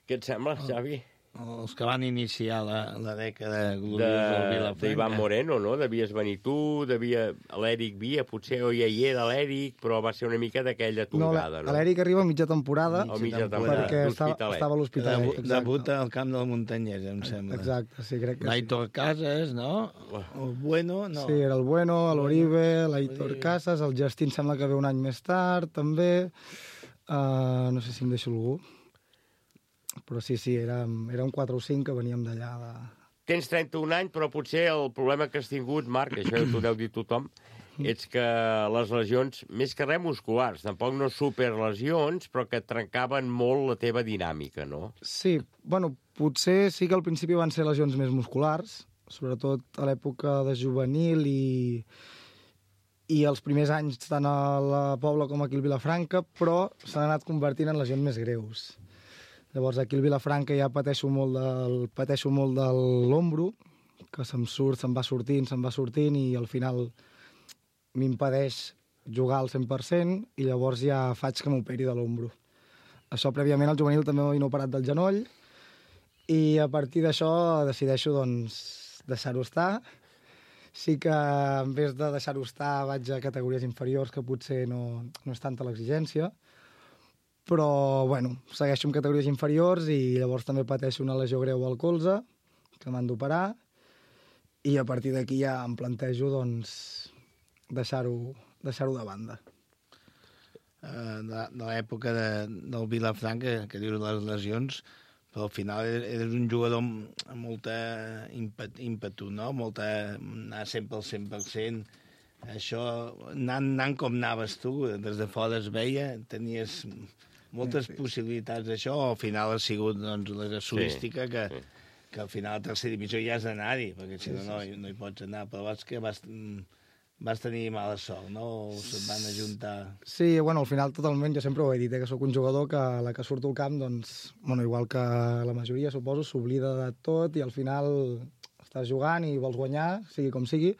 Què et sembla, Xavi? Els que van iniciar la, la dècada gloriosa de, del Vilafranca. D'Ivan Moreno, no? Devies venir tu, devia... L'Èric Via, potser o ja hi era l'Èric, però va ser una mica d'aquella tongada, no? No, l'Èric arriba a mitja temporada, o mitja temporada perquè estava, estava a l'Hospitalet. Debuta al camp del Muntanyès, em sembla. Exacte, sí, crec que sí. L'Aitor Casas, no? El Bueno, no. Sí, era el Bueno, l'Oribe, l'Aitor Casas, el Justin sembla que ve un any més tard, també. Uh, no sé si em deixo algú. Però sí, sí, érem, érem quatre o cinc que veníem d'allà. De... Tens trenta-un anys, però potser el problema que has tingut, Marc, això t'ho deu dir tothom, és que les lesions, més que res musculars, tampoc no superlesions, però que trencaven molt la teva dinàmica, no? Sí, bueno, potser sí que al principi van ser lesions més musculars, sobretot a l'època de juvenil i, i els primers anys tant a la Pobla com aquí al Vilafranca, però s'han anat convertint en lesions més greus. Llavors, aquí al Vilafranca ja pateixo molt del, pateixo molt de l'ombro, que se'm surt, se'm va sortint, se'm va sortint, i al final m'impedeix jugar al cent per cent, i llavors ja faig que m'operi de l'ombro. Això, prèviament, al juvenil també m'havien operat del genoll, i a partir d'això decideixo, doncs, deixar-ho estar. Sí que, en vez de deixar-ho estar, vaig a categories inferiors, que potser no, no és tanta l'exigència, però, bueno, segueixo en categories inferiors i llavors també pateixo una lesió greu al colze, que m'han d'operar, i a partir d'aquí ja em plantejo, doncs, deixar-ho deixar-ho de banda. Uh, de de l'època de, del Vilafranca, que dius les lesions, però al final eres un jugador amb molta ímpet, ímpetu, no? Molta, anar sempre al cent per cent. Això, anant, anant com anaves tu, des de fora es veia, tenies moltes sí, sí. possibilitats d'això, al final ha sigut doncs, la casuística sí, que, sí. que al final a tercera divisió ja has d'anar-hi, perquè si no, no, no hi pots anar, però vas que vas, vas tenir mala sort, no? O se't van ajuntar... Sí, bueno, al final totalment, jo sempre ho he dit, eh, que sóc un jugador que a la que surto al camp, doncs, bueno, igual que la majoria, suposo, s'oblida de tot i al final estàs jugant i vols guanyar, sigui com sigui,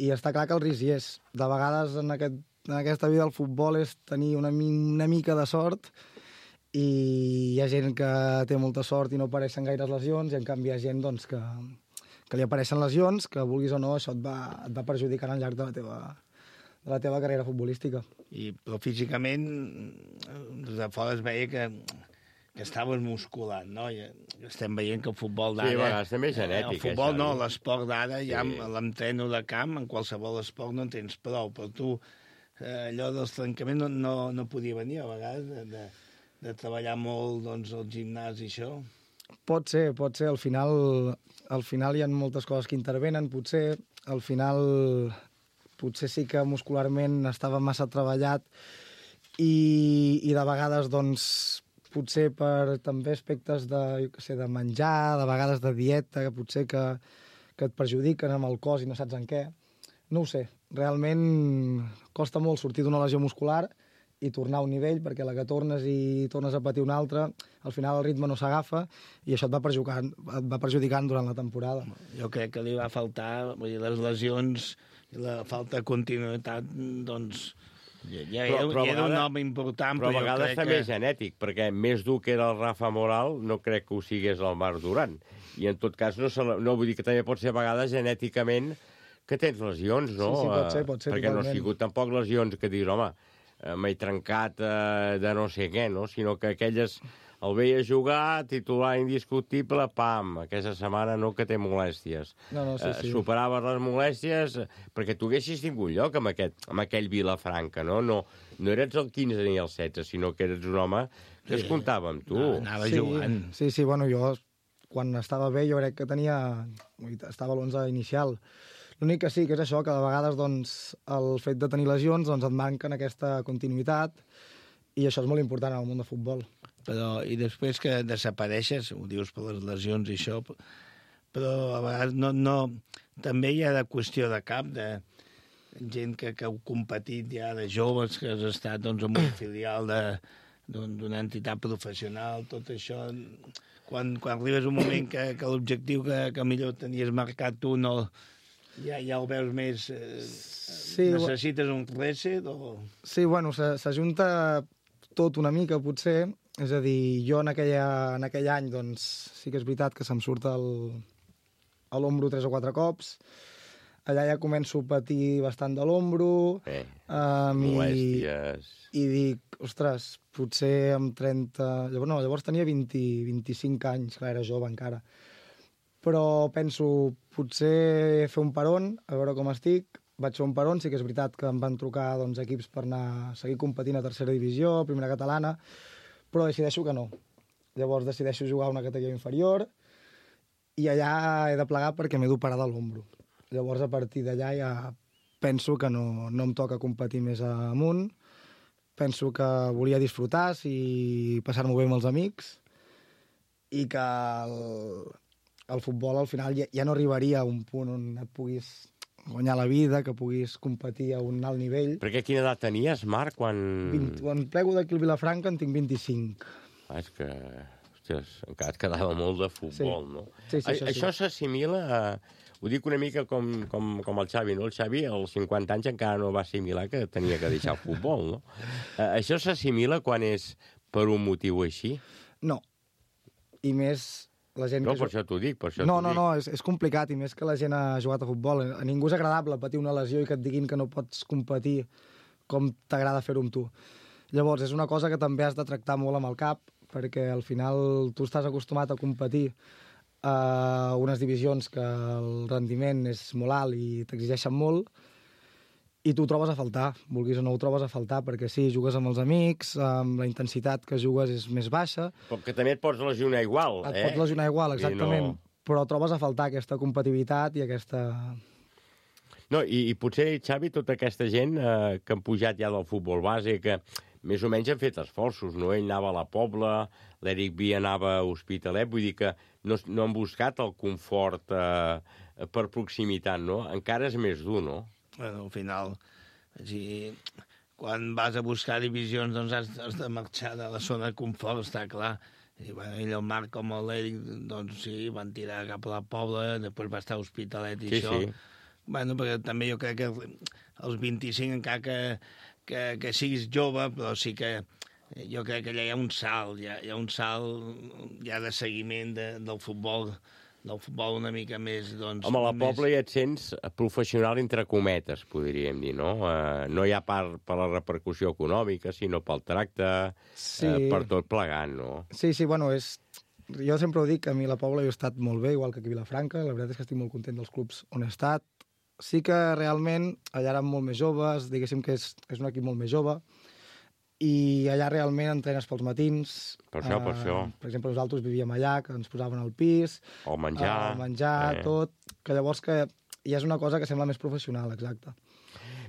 i està clar que el risc hi és. De vegades en, aquest, en aquesta vida el futbol és tenir una, una mica de sort, i hi ha gent que té molta sort i no apareixen gaires lesions, i en canvi hi ha gent doncs, que, que li apareixen lesions, que vulguis o no, això et va, et va perjudicant al llarg de la teva, de la teva carrera futbolística. I, però físicament, des de fora es veia que, que estaves musculat, no? I estem veient que el futbol d'ara... Sí, a vegades també és genètic. El futbol això, no, l'esport d'ara, sí. ja amb l'entreno de camp, en qualsevol esport no en tens prou, però tu, eh, allò dels trencaments no, no, no podia venir, a vegades, de, de, de treballar molt doncs, al gimnàs i això. Pot ser, pot ser. Al final, al final hi ha moltes coses que intervenen, potser. Al final, potser sí que muscularment estava massa treballat i, i de vegades, doncs, potser per també aspectes de, jo què sé, de menjar, de vegades de dieta, que potser que, que et perjudiquen amb el cos i no saps en què. No ho sé. Realment costa molt sortir d'una lesió muscular i tornar a un nivell, perquè a la que tornes i tornes a patir una altra, al final el ritme no s'agafa i això et va perjudicant, et va perjudicant durant la temporada. Jo crec que li va faltar, vull dir, les lesions i la falta de continuïtat, doncs, Ja, ja, però, però ja era un home important, però, però a vegades també que... és genètic, perquè més dur que era el Rafa Moral, no crec que ho sigués el Marc Duran. I en tot cas, no, se la, no vull dir que també pot ser a vegades genèticament que tens lesions, no? Sí, sí, pot ser, pot ser, perquè totalment. no ha sigut tampoc lesions que dius, home, m'he trencat eh, de no sé què, no? Sinó que aquelles... El veia jugar, titular indiscutible, pam, aquesta setmana no que té molèsties. No, no, sí, sí. Eh, superaves les molèsties perquè tu haguessis tingut lloc amb, aquest, amb aquell Vilafranca, no? No, no eres el quinze ni el setze, sinó que eres un home que es comptava amb tu. No, anava sí, jugant. Sí, sí, bueno, jo quan estava bé jo crec que tenia... estava a l'onze inicial. L'únic que sí, que és això, que de vegades doncs, el fet de tenir lesions doncs, et manquen aquesta continuïtat i això és molt important en el món de futbol. Però, i després que desapareixes, ho dius per les lesions i això, però a vegades no, no, també hi ha de qüestió de cap, de gent que, que heu competit ja de joves, que has estat doncs, en un filial d'una entitat professional, tot això... Quan, quan arribes un moment que, que l'objectiu que, que millor tenies marcat tu no... Ja, ja ho veus més... Eh, sí, necessites un reset o...? Sí, bueno, s'ajunta tot una mica, potser. És a dir, jo en, aquella, en aquell any, doncs, sí que és veritat que se'm surt el, a l'ombro tres o quatre cops. Allà ja començo a patir bastant de l'ombro. Eh, um, molèsties... I, I dic, ostres, potser amb trenta... Llavors, no, llavors tenia vint, vint-i-cinc anys, clar, era jove encara. Però penso, potser fer un peron, a veure com estic. Vaig fer un peron, sí que és veritat que em van trucar doncs, equips per anar a seguir competint a tercera divisió, primera catalana, però decideixo que no. Llavors decideixo jugar a una categoria inferior i allà he de plegar perquè m'he d'operar de l'ombro. Llavors, a partir d'allà ja penso que no, no em toca competir més amunt. Penso que volia disfrutar i passar-m'ho bé amb els amics i que el, el futbol al final ja, ja no arribaria a un punt on et puguis guanyar la vida, que puguis competir a un alt nivell. Perquè quina edat tenies, Marc, quan... vint, quan plego d'aquí al Vilafranca en tinc vint-i-cinc. Ah, és que, hòsties, encara et quedava molt de futbol, sí. no? Sí, sí, a, això això sí. s'assimila a... Ho dic una mica com, com, com el Xavi, no? El Xavi, als cinquanta anys, encara no va assimilar que tenia que deixar el futbol, no? Uh, això s'assimila quan és per un motiu així? No. I més... La gent no, que per això t'ho dic, per això No, t'ho no, dic. no, és, és complicat, i més que la gent ha jugat a futbol. A ningú és agradable patir una lesió i que et diguin que no pots competir com t'agrada fer-ho amb tu. Llavors, és una cosa que també has de tractar molt amb el cap, perquè al final tu estàs acostumat a competir a unes divisions que el rendiment és molt alt i t'exigeixen molt, i tu ho trobes a faltar, vulguis o no ho trobes a faltar, perquè sí, jugues amb els amics, amb la intensitat que jugues és més baixa. Però que també et pots lesionar igual, et eh? Et pots lesionar igual, exactament, no... però trobes a faltar aquesta competitivitat i aquesta... No, i, i potser, Xavi, tota aquesta gent eh, que han pujat ja del futbol base, que més o menys han fet esforços, no? Ell anava a la Pobla, l'Eric Via anava a Hospitalet, vull dir que no, no han buscat el confort eh, per proximitat, no? Encara és més dur, no? Bueno, al final, si, quan vas a buscar divisions, doncs has, has de marxar de la zona de confort, està clar. I, bueno, ell, el Marc com l'Eric, doncs sí, van tirar cap a la Pobla, després va estar a Hospitalet i sí, això. Sí. Bueno, perquè també jo crec que als vint-i-cinc, encara que, que, que siguis jove, però sí que jo crec que allà hi ha un salt, hi ha, hi ha un salt ja de seguiment de, del futbol, del futbol una mica més... Doncs, Home, a la més... Pobla ja et sents professional entre cometes, podríem dir, no? Uh, no hi ha part per la repercussió econòmica, sinó pel tracte, sí. uh, per tot plegant, no? Sí, sí, bueno, és... Jo sempre ho dic, que a mi la Pobla jo he estat molt bé, igual que aquí a Vilafranca, la veritat és que estic molt content dels clubs on he estat. Sí que realment allà érem molt més joves, diguéssim que és, és un equip molt més jove, i allà realment entrenes pels matins. Per això, uh, per això. Per exemple, nosaltres vivíem allà, que ens posaven al pis. El menjar. El menjar, eh. tot. Que llavors que ja és una cosa que sembla més professional, exacte.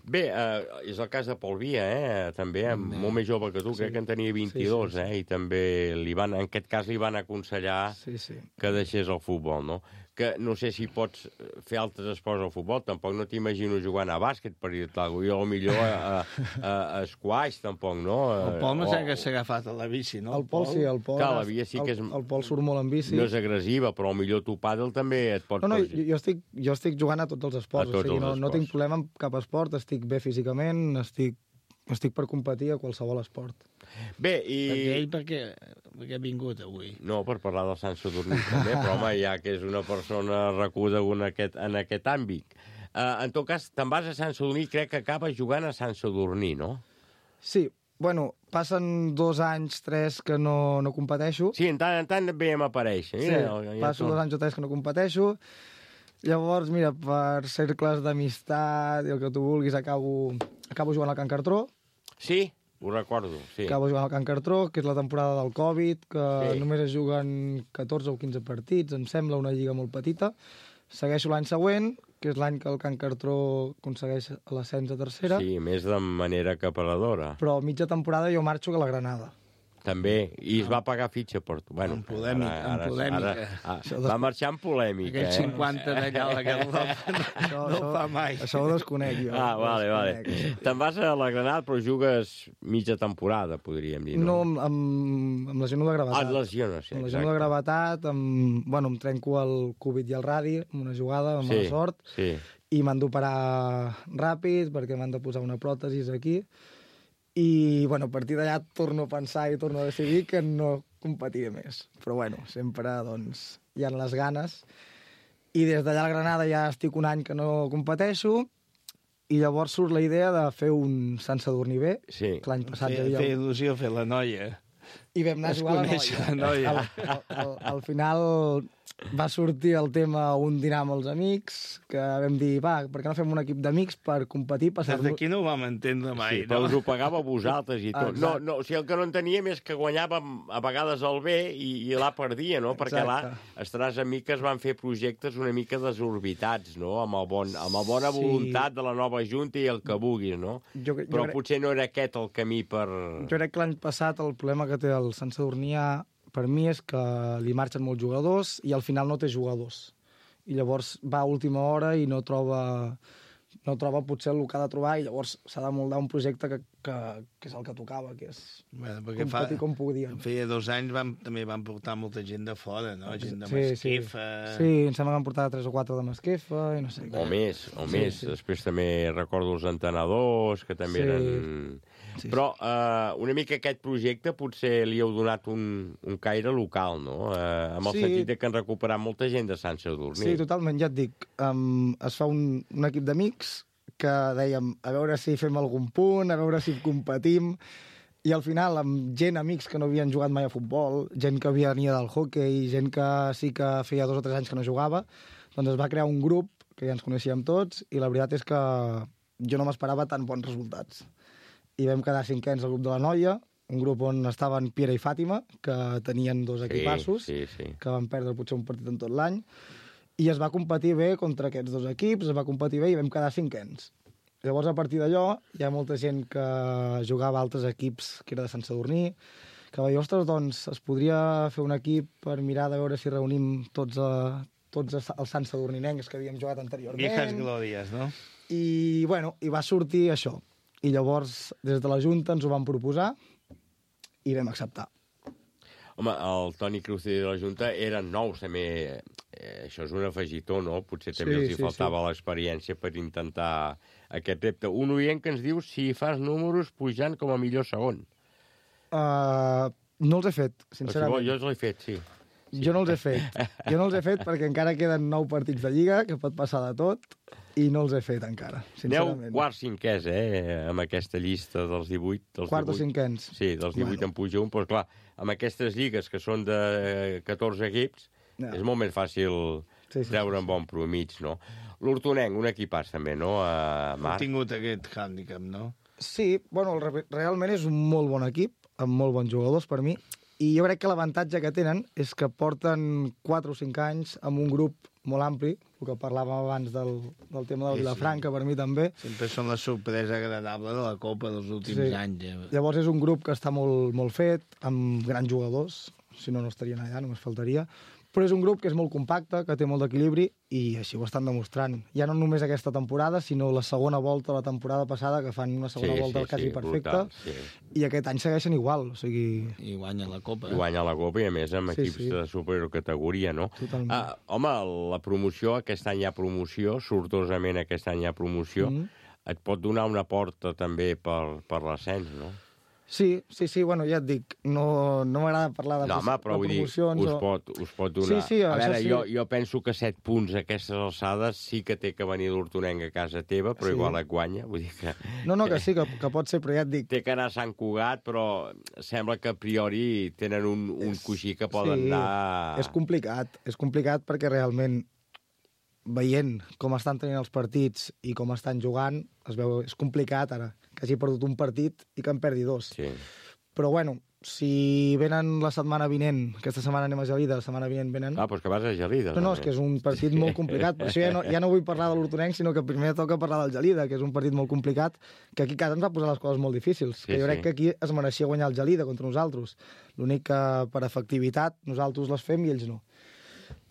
Bé, eh, és el cas de Pol Via, eh? També, també, molt més jove que tu, sí. Crec que en tenia vint-i-dos, sí, sí, sí. Eh? I també li van, en aquest cas li van aconsellar sí, sí. que deixés el futbol, no? Que no sé si pots fer altres esports al futbol, tampoc no t'imagino jugant a bàsquet, per dir-te alguna cosa, jo millor a, a, a squash, tampoc, no? El Pol no sé que s'ha agafat a la bici, no? El Pol sí, el Pol... Clar, la Via sí que és... El, el Pol surt molt en bici. No és agressiva, però millor tu pàdel també et pot... No, no, jo, jo, estic, jo estic jugant a tots els esports, tots o sigui, els no, esports. no tinc problema amb cap esport, estic bé físicament, estic estic per competir a qualsevol esport. Bé, i... Perquè ell per què, per què ha vingut avui? No, per parlar del Sant Sadurní també, però home, ja que és una persona reconeguda en aquest, en aquest àmbit. Uh, en tot cas, te'n vas a Sant Sadurní, crec que acabes jugant a Sant Sadurní, no? Sí, bueno, passen dos anys, tres que no, no competeixo. Sí, en tant en tant veiem aparèixer. Sí, passo dos anys o tres que no competeixo. Llavors, mira, per cercles d'amistat i el que tu vulguis, acabo, acabo jugant al Can Cartró. Sí, ho recordo, sí. Acabo jugant al Can Cartró, que és la temporada del Covid, que Sí. només es juguen catorze o quinze partits, em sembla, una lliga molt petita. Segueixo l'any següent, que és l'any que el Can Cartró aconsegueix l'ascens a tercera. Sí, més de manera acaparadora. Però mitja temporada jo marxo a la Granada. També, i es va pagar fitxa per tu. Bueno, En polèmica, en polèmica. Ara, ara, va marxar en polèmica, Aquests eh? cinquanta d'allà a la Garlopa no, Això, no ho fa mai. Això ho desconec jo. Ah, vale, ho vale. desconec. Te'n vas a la Granada, però jugues mitja temporada, podríem dir, No, no? amb, amb, amb lesió de gravetat. Ah, lesiones, sí, Amb lesió de gravetat, amb, bueno, em trenco el cúbit i el radi amb una jugada, amb mala sort, sí. i m'han d'operar ràpid perquè m'han de posar una pròtesis aquí. I, bueno, a partir d'allà torno a pensar i torno a decidir que no competiré més. Però, bueno, sempre, doncs, hi ha les ganes. I des d'allà a la Granada ja estic un any que no competeixo, i llavors surt la idea de fer un Sant Sadurní B, Sí. que l'any passat Feia, ja havia... feia il·lusió fer la noia. I vam anar a Es jugar a la coneix noia. la noia. Al, al, al, al final va sortir el tema un dinar amb els amics, que vam dir, va, per què no fem un equip d'amics per competir, Des passar-nos... d'aquí no ho vam entendre mai, Sí, però no? us ho pagava vosaltres i tot. No, Exacte. no, o sigui, el que no enteníem és que guanyàvem a vegades el B i, i l'A perdia, no? Perquè l'A, Exacte. estaràs amics van fer projectes una mica desorbitats, no? Amb, el bon, amb la bona Sí. voluntat de la nova junta i el que vulguis, no? Jo, jo, Però crec, potser no era aquest el camí per... jo crec que l'any passat el problema que té el Sant Sadurní A, per mi és que li marxen molts jugadors i al final no té jugadors. I llavors va a última hora i no troba, no troba potser el que ha de trobar, i llavors s'ha de moldar un projecte que, que, que és el que tocava, que és Bueno, perquè competir com podíem. Feia dos anys vam, també van portar molta gent de fora, no? Gent de Sí, sí. Masquefa... Sí, em sembla que van portar tres o quatre de Masquefa i no sé O què. més, o Sí, més. sí. Després també recordo els entenedors, que també Sí. eren... Sí, Però eh, una mica aquest projecte potser li heu donat un, un caire local, no? Eh, amb el Sí. sentit de que han recuperat molta gent de Sant Sadurní. Sí, totalment, ja et dic. Um, es fa un, un equip d'amics que dèiem a veure si fem algun punt, a veure si competim, i al final amb gent, amics que no havien jugat mai a futbol, gent que venia del hockey, gent que sí que feia dos o tres anys que no jugava, doncs es va crear un grup que ja ens coneixíem tots, i la veritat és que jo no m'esperava tan bons resultats. I vam quedar cinquens al grup de la noia, un grup on estaven Piera i Fàtima, que tenien dos equipassos, sí, sí. que van perdre potser un partit en tot l'any, i es va competir bé contra aquests dos equips, es va competir bé i vam quedar cinquens. Llavors, a partir d'allò, hi ha molta gent que jugava a altres equips, que era de Sant Sadurní, que va dir, ostres, doncs es podria fer un equip per mirar de veure si reunim tots, a, tots els Sant Sadurninencs que havíem jugat anteriorment. Viejas glòries, no? I, bueno, i va sortir això. I llavors, des de la Junta ens ho van proposar i vam acceptar. Home, el Toni Cruz de la Junta eren nous, també. Eh, això és un afegitó, no? Potser també Sí, els hi sí, faltava sí. l'experiència per intentar aquest repte. Un oient que ens diu si fas números pujant com a millor segon. Uh, no els he fet, Però si sincerament. vol, jo els l'he fet, sí. Jo no els he fet. Jo no els he fet perquè encara queden nou partits de Lliga, que pot passar de tot, i no els he fet encara, Aneu sincerament. quart cinquès, eh, amb aquesta llista dels divuit. Dels Quart o divuit. cinquens. Sí, dels divuit Bueno. en puja un, però clar, amb aquestes lligues que són de catorze equips, Ja. és molt més fàcil Sí, sí, treure sí, un bon promig, no? L'Hortonenc, un equipàs també, no, a Ha Marc? tingut aquest hàndicap, no? Sí, bueno, el re- realment és un molt bon equip, amb molt bons jugadors per mi, i jo crec que l'avantatge que tenen és que porten quatre o cinc anys amb un grup molt ampli, el que parlàvem abans del, del tema del Sí, sí. Vilafranca, per mi també. Sempre són la sorpresa agradable de la Copa dels últims Sí. anys. Eh? Llavors és un grup que està molt, molt fet, amb grans jugadors, si no, no estarien allà, només faltaria, però és un grup que és molt compacte, que té molt d'equilibri, i així ho estan demostrant. Ja no només aquesta temporada, sinó la segona volta, la temporada passada, que fan una segona Sí, volta sí, quasi sí, perfecta, brutal, sí. i aquest any segueixen igual, o sigui... I guanya la Copa. I guanya la Copa i, a més, amb Sí, equips sí. de superior categoria, no? Totalment. Ah, home, la promoció, aquest any hi ha promoció, sortosament aquest any hi ha promoció. Mhm. et pot donar una porta també per, per l'ascens, no? Sí, sí, sí, bueno, ja et dic, no, no m'agrada parlar de, no, home, però, de promocions. Dir, us, o... pot, us pot donar... Sí, sí, a veure, sí. jo, jo penso que set punts a aquestes alçades sí que té que venir l'Hortonenc a casa teva, però sí. Igual et guanya, vull dir que... No, no, que sí, que, que pot ser, però ja et dic... Té que anar a Sant Cugat, però sembla que a priori tenen un, un coixí que poden sí, anar... És complicat, és complicat perquè realment veient com estan tenint els partits i com estan jugant, es veu, és complicat ara, que hagi perdut un partit i que en perdi dos. Sí. Però bueno, si venen la setmana vinent, aquesta setmana anem a Gelida, la setmana vinent venen... Ah, doncs que vas a Gelida. No, no, és que és un partit molt complicat, per això ja no, ja no vull parlar de l'Hortonenc, sinó que primer toca parlar del Gelida, que és un partit molt complicat, que aquí a casa ens va posar les coses molt difícils, sí, que jo crec sí. que aquí es mereixia guanyar el Gelida contra nosaltres. L'únic que per efectivitat nosaltres les fem i ells no.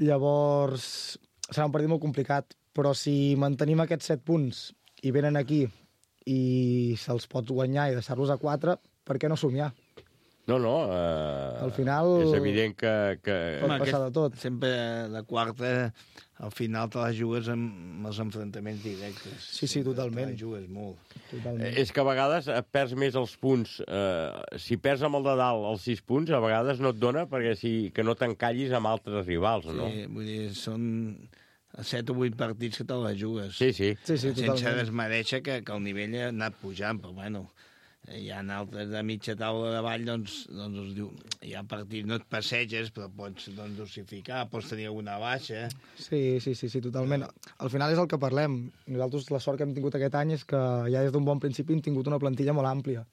Llavors, serà un partit molt complicat, però si mantenim aquests set punts i venen aquí i se'ls pot guanyar i deixar-los a quatre, per què no somiar? No, no. Uh, al final... És evident que... que... Pot passar de tot. Sempre la quarta, al final te la jugues amb els enfrontaments directes. Sí, sí, totalment. Te la jugues molt. Totalment. És que a vegades perds més els punts. Uh, si perds amb el de dalt els sis punts, a vegades no et dona perquè si, que no t'encallis amb altres rivals, no? Sí, vull dir, són... a set o vuit partits que te la jugues. Sí, sí. sí, sí sense desmereixer que, que el nivell ha anat pujant, però bueno, hi ha altres de mitja taula de ball, doncs, doncs es diu, hi ha partits, no et passeges, però pots doncs, dosificar, pots tenir alguna baixa. Sí, sí, sí, sí, totalment. Al final és el que parlem. Nosaltres la sort que hem tingut aquest any és que ja des d'un bon principi hem tingut una plantilla molt àmplia.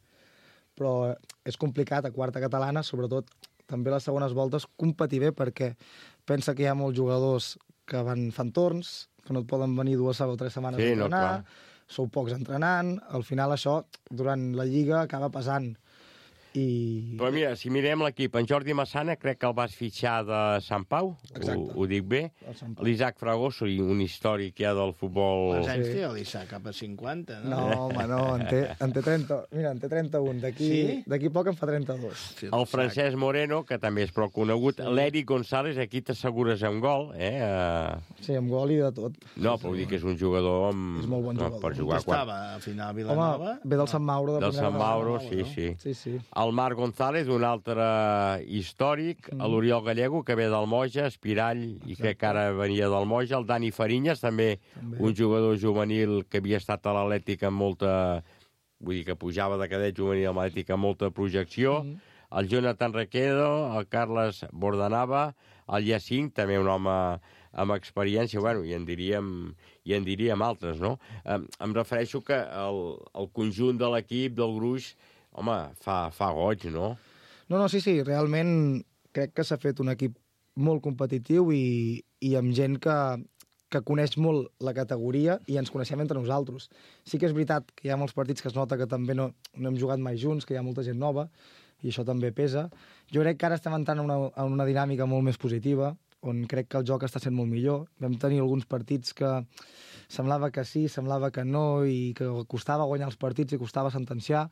Però és complicat a quarta catalana, sobretot també les segones voltes, competir bé perquè pensa que hi ha molts jugadors que van fan torns, que no et poden venir dues o tres setmanes sí, a entrenar, no, sou pocs entrenant, al final això, durant la Lliga, acaba pesant. I... Però mira, si mirem l'equip, en Jordi Massana crec que el vas fitxar de Sant Pau, ho, ho dic bé. L'Isaac Fragoso, un històric ja del futbol... Quants anys té l'Isaac? Cap a cinquanta, no? No, home, no, en té, en té trenta... Mira, en té trenta-un, d'aquí sí? poc en fa trenta-dos. Sí, el Francesc Moreno, que també és prou conegut, sí. L'Eric González, aquí t'assegures amb gol, eh? Uh... Sí, amb gol i de tot. No, però vull dir que és un jugador amb... És molt bon jugador. No, per jugar quan... estava a final a Vilanova? Home, ve del Sant Mauro. De del Sant Mauro, sí, no? sí. Sí, sí. El Marc González, un altre històric, mm. l'Oriol Gallego, que ve del Moja, Espirall, i Exacte. que ara venia del Moja, el Dani Farinyes, també, també un jugador juvenil que havia estat a l'Atlètic amb molta... Vull dir que pujava de cadet juvenil a l'Atlètic amb molta projecció, mm. el Jonathan Requedo, el Carles Bordanava, el Jacint, també un home amb experiència, bueno, i en diríem, i en diríem altres, no? Em, em refereixo que el, el conjunt de l'equip, del gruix, home, fa, fa goig, no? No, no, sí, sí, realment crec que s'ha fet un equip molt competitiu i, i amb gent que, que coneix molt la categoria i ens coneixem entre nosaltres. Sí que és veritat que hi ha molts partits que es nota que també no, no hem jugat mai junts, que hi ha molta gent nova, i això també pesa. Jo crec que ara estem entrant en una, en una dinàmica molt més positiva, on crec que el joc està sent molt millor. Vam tenir alguns partits que semblava que sí, semblava que no, i que costava guanyar els partits i costava sentenciar.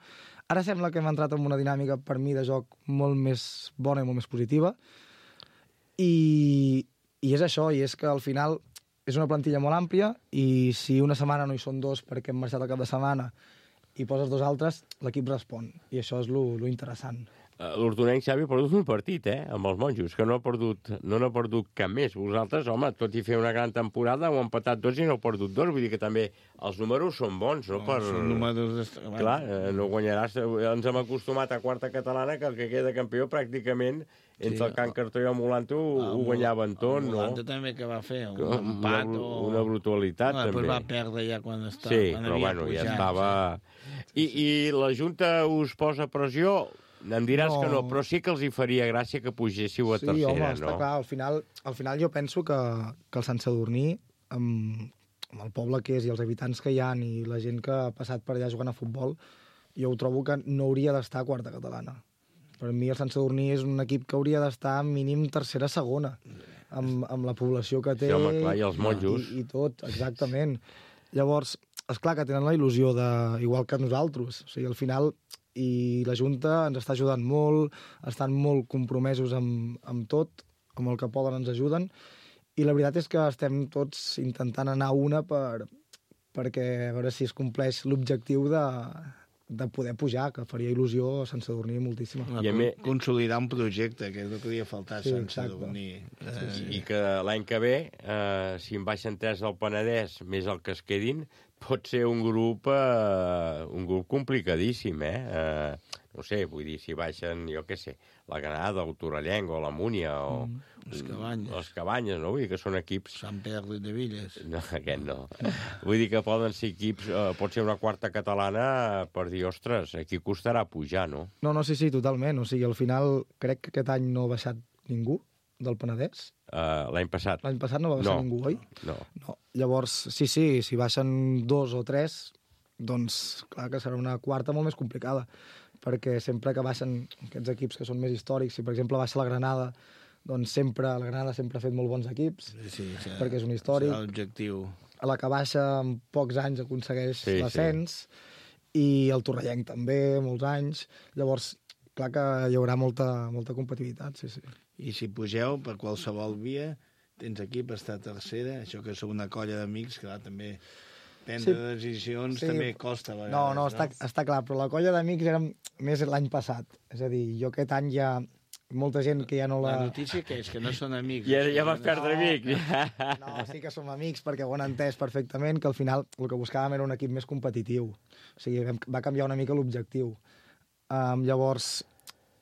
Ara sembla que hem entrat en una dinàmica, per mi, de joc molt més bona i molt més positiva. I, i és això, i és que al final és una plantilla molt àmplia i si una setmana no hi són dos perquè hem marxat al cap de setmana i poses dos altres, l'equip respon. I això és lo, lo interessant. L'Hortonenc, Xavi, ha perdut un partit, eh, amb els monjos, que no ha perdut, no n'ha perdut cap més. Vosaltres, home, tot i fer una gran temporada, heu empatat dos i no heu perdut dos. Vull dir que també els números són bons, no? no per... Són números... Clar, eh, no guanyaràs... Ens hem acostumat a quarta catalana que el que queda campió pràcticament entre sí, el Can Cartó i el Molanto ho, ho guanyaven tot, no? El Molanto també que va fer, un una, empat una, o... Una brutalitat, no, també. va perdre ja quan estava... Sí, quan però bueno, pujat, ja estava... Sí. I, I la Junta us posa pressió... Em diràs no. que no, però sí que els hi faria gràcia que pugéssiu a sí, tercera, home, no? Sí, està clar. Al final, al final jo penso que, que el Sant Sadurní, amb, amb el poble que és i els habitants que hi ha i la gent que ha passat per allà jugant a futbol, jo ho trobo que no hauria d'estar a quarta catalana. Per mi el Sant Sadurní és un equip que hauria d'estar mínim tercera, segona, amb, amb la població que té... Sí, home, clar, i els monjos. I, i tot, exactament. Llavors, és clar que tenen la il·lusió de... igual que nosaltres. O sigui, al final... i la Junta ens està ajudant molt, estan molt compromesos amb, amb tot, amb el que poden ens ajuden, i la veritat és que estem tots intentant anar a una per, perquè a veure si es compleix l'objectiu de, de poder pujar, que faria il·lusió sense dormir moltíssima. I a mi... Consolidar un projecte, que és el que havia faltat, sí, sense exacte. dormir. Sí, sí. I que l'any que ve, eh, si en baixen tres del Penedès, més el que es quedin, pot ser un grup, eh, un grup complicadíssim, eh? eh? No sé, vull dir, si baixen, jo què sé, la Granada, el Torrellenc, o la Múnia, o... Mm, les Cabanyes. Les Cabanyes, no? Vull dir que són equips... Sant Pere de Villes. No, aquest no. Vull dir que poden ser equips... Eh, pot ser una quarta catalana per dir, ostres, aquí costarà pujar, no? No, no, sí, sí, totalment. O sigui, al final, crec que aquest any no ha baixat ningú del Penedès. Uh, l'any passat. L'any passat no va baixar no, ningú, oi? No. no. Llavors, sí, sí, si baixen dos o tres, doncs clar que serà una quarta molt més complicada, perquè sempre que baixen aquests equips que són més històrics, si per exemple baixa la Granada, doncs sempre, la Granada sempre ha fet molt bons equips, sí, sí, sí, perquè és un històric. És l'objectiu. A la que baixa en pocs anys aconsegueix sí, l'ascens, sí. I el Torrellenc també, molts anys. Llavors, clar que hi haurà molta, molta competitivitat, sí, sí. I si pugeu per qualsevol via, tens aquí per estar tercera, això que sou una colla d'amics, que també prendre sí, decisions sí. també costa a vegades. No, no, està, no? està clar, però la colla d'amics era més l'any passat. És a dir, jo aquest any ja... molta gent que ja no la... La notícia que és que no són amics. Ja, ja vas perdre no, amics. No, no, sí que som amics perquè ho han entès perfectament, que al final el que buscàvem era un equip més competitiu. O sigui, va canviar una mica l'objectiu. Um, llavors,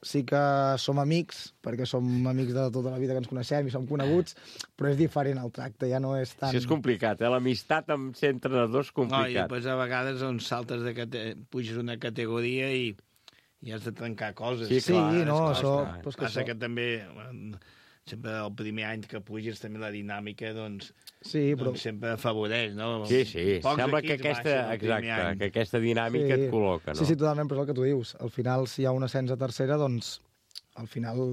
sí que som amics, perquè som amics de tota la vida que ens coneixem i som coneguts, però és diferent el tracte, ja no és tan... Sí, és complicat, eh? L'amistat amb ser entrenadors és complicat. No, i després a vegades on saltes de cate... puges una categoria i i has de trencar coses. Sí, clar, sí no, clar, això... Pues que passa això... que també, sempre el primer any que puges, també la dinàmica, doncs, sí, però... doncs sempre afavoreix, no? Sí, sí, Pocs sembla que aquesta, exacte, que aquesta dinàmica sí. et col·loca, no? Sí, sí, totalment, però és el que tu dius. Al final, si hi ha un ascens a tercera, doncs, al final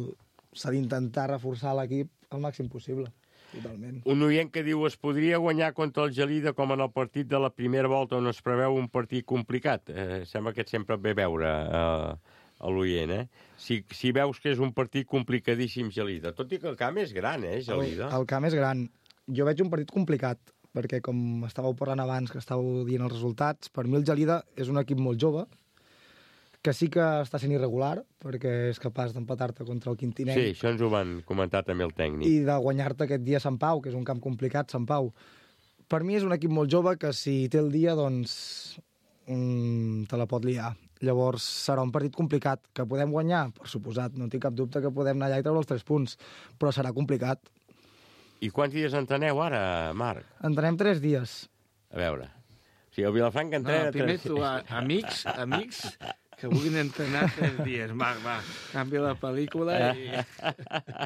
s'ha d'intentar reforçar l'equip al màxim possible. Totalment. Un oient que diu es podria guanyar contra el Gelida com en el partit de la primera volta on es preveu un partit complicat. Eh, sembla que sempre et ve veure eh, a l'oient, eh? Si, si veus que és un partit complicadíssim Gelida, tot i que el camp és gran, eh, Gelida? El, el camp és gran. Jo veig un partit complicat, perquè com estàveu parlant abans, que estàveu dient els resultats, per mi el Gelida és un equip molt jove, que sí que està sent irregular, perquè és capaç d'empatar-te contra el Quintinenc. Sí, això ens ho van comentar també el tècnic. I de guanyar-te aquest dia a Sant Pau, que és un camp complicat, Sant Pau. Per mi és un equip molt jove que si té el dia, doncs, mm, te la pot liar. Llavors serà un partit complicat. Que podem guanyar? Per suposat, no tinc cap dubte que podem anar allà i treure els tres punts, però serà complicat. I quants dies entreneu ara, Marc? Entrenem tres dies. A veure. O sigui, el Vilafranca entrena... No, primer tres... tu, amics, amics... que vulguin entrenar tres dies. Va, va, canvia la pel·lícula i...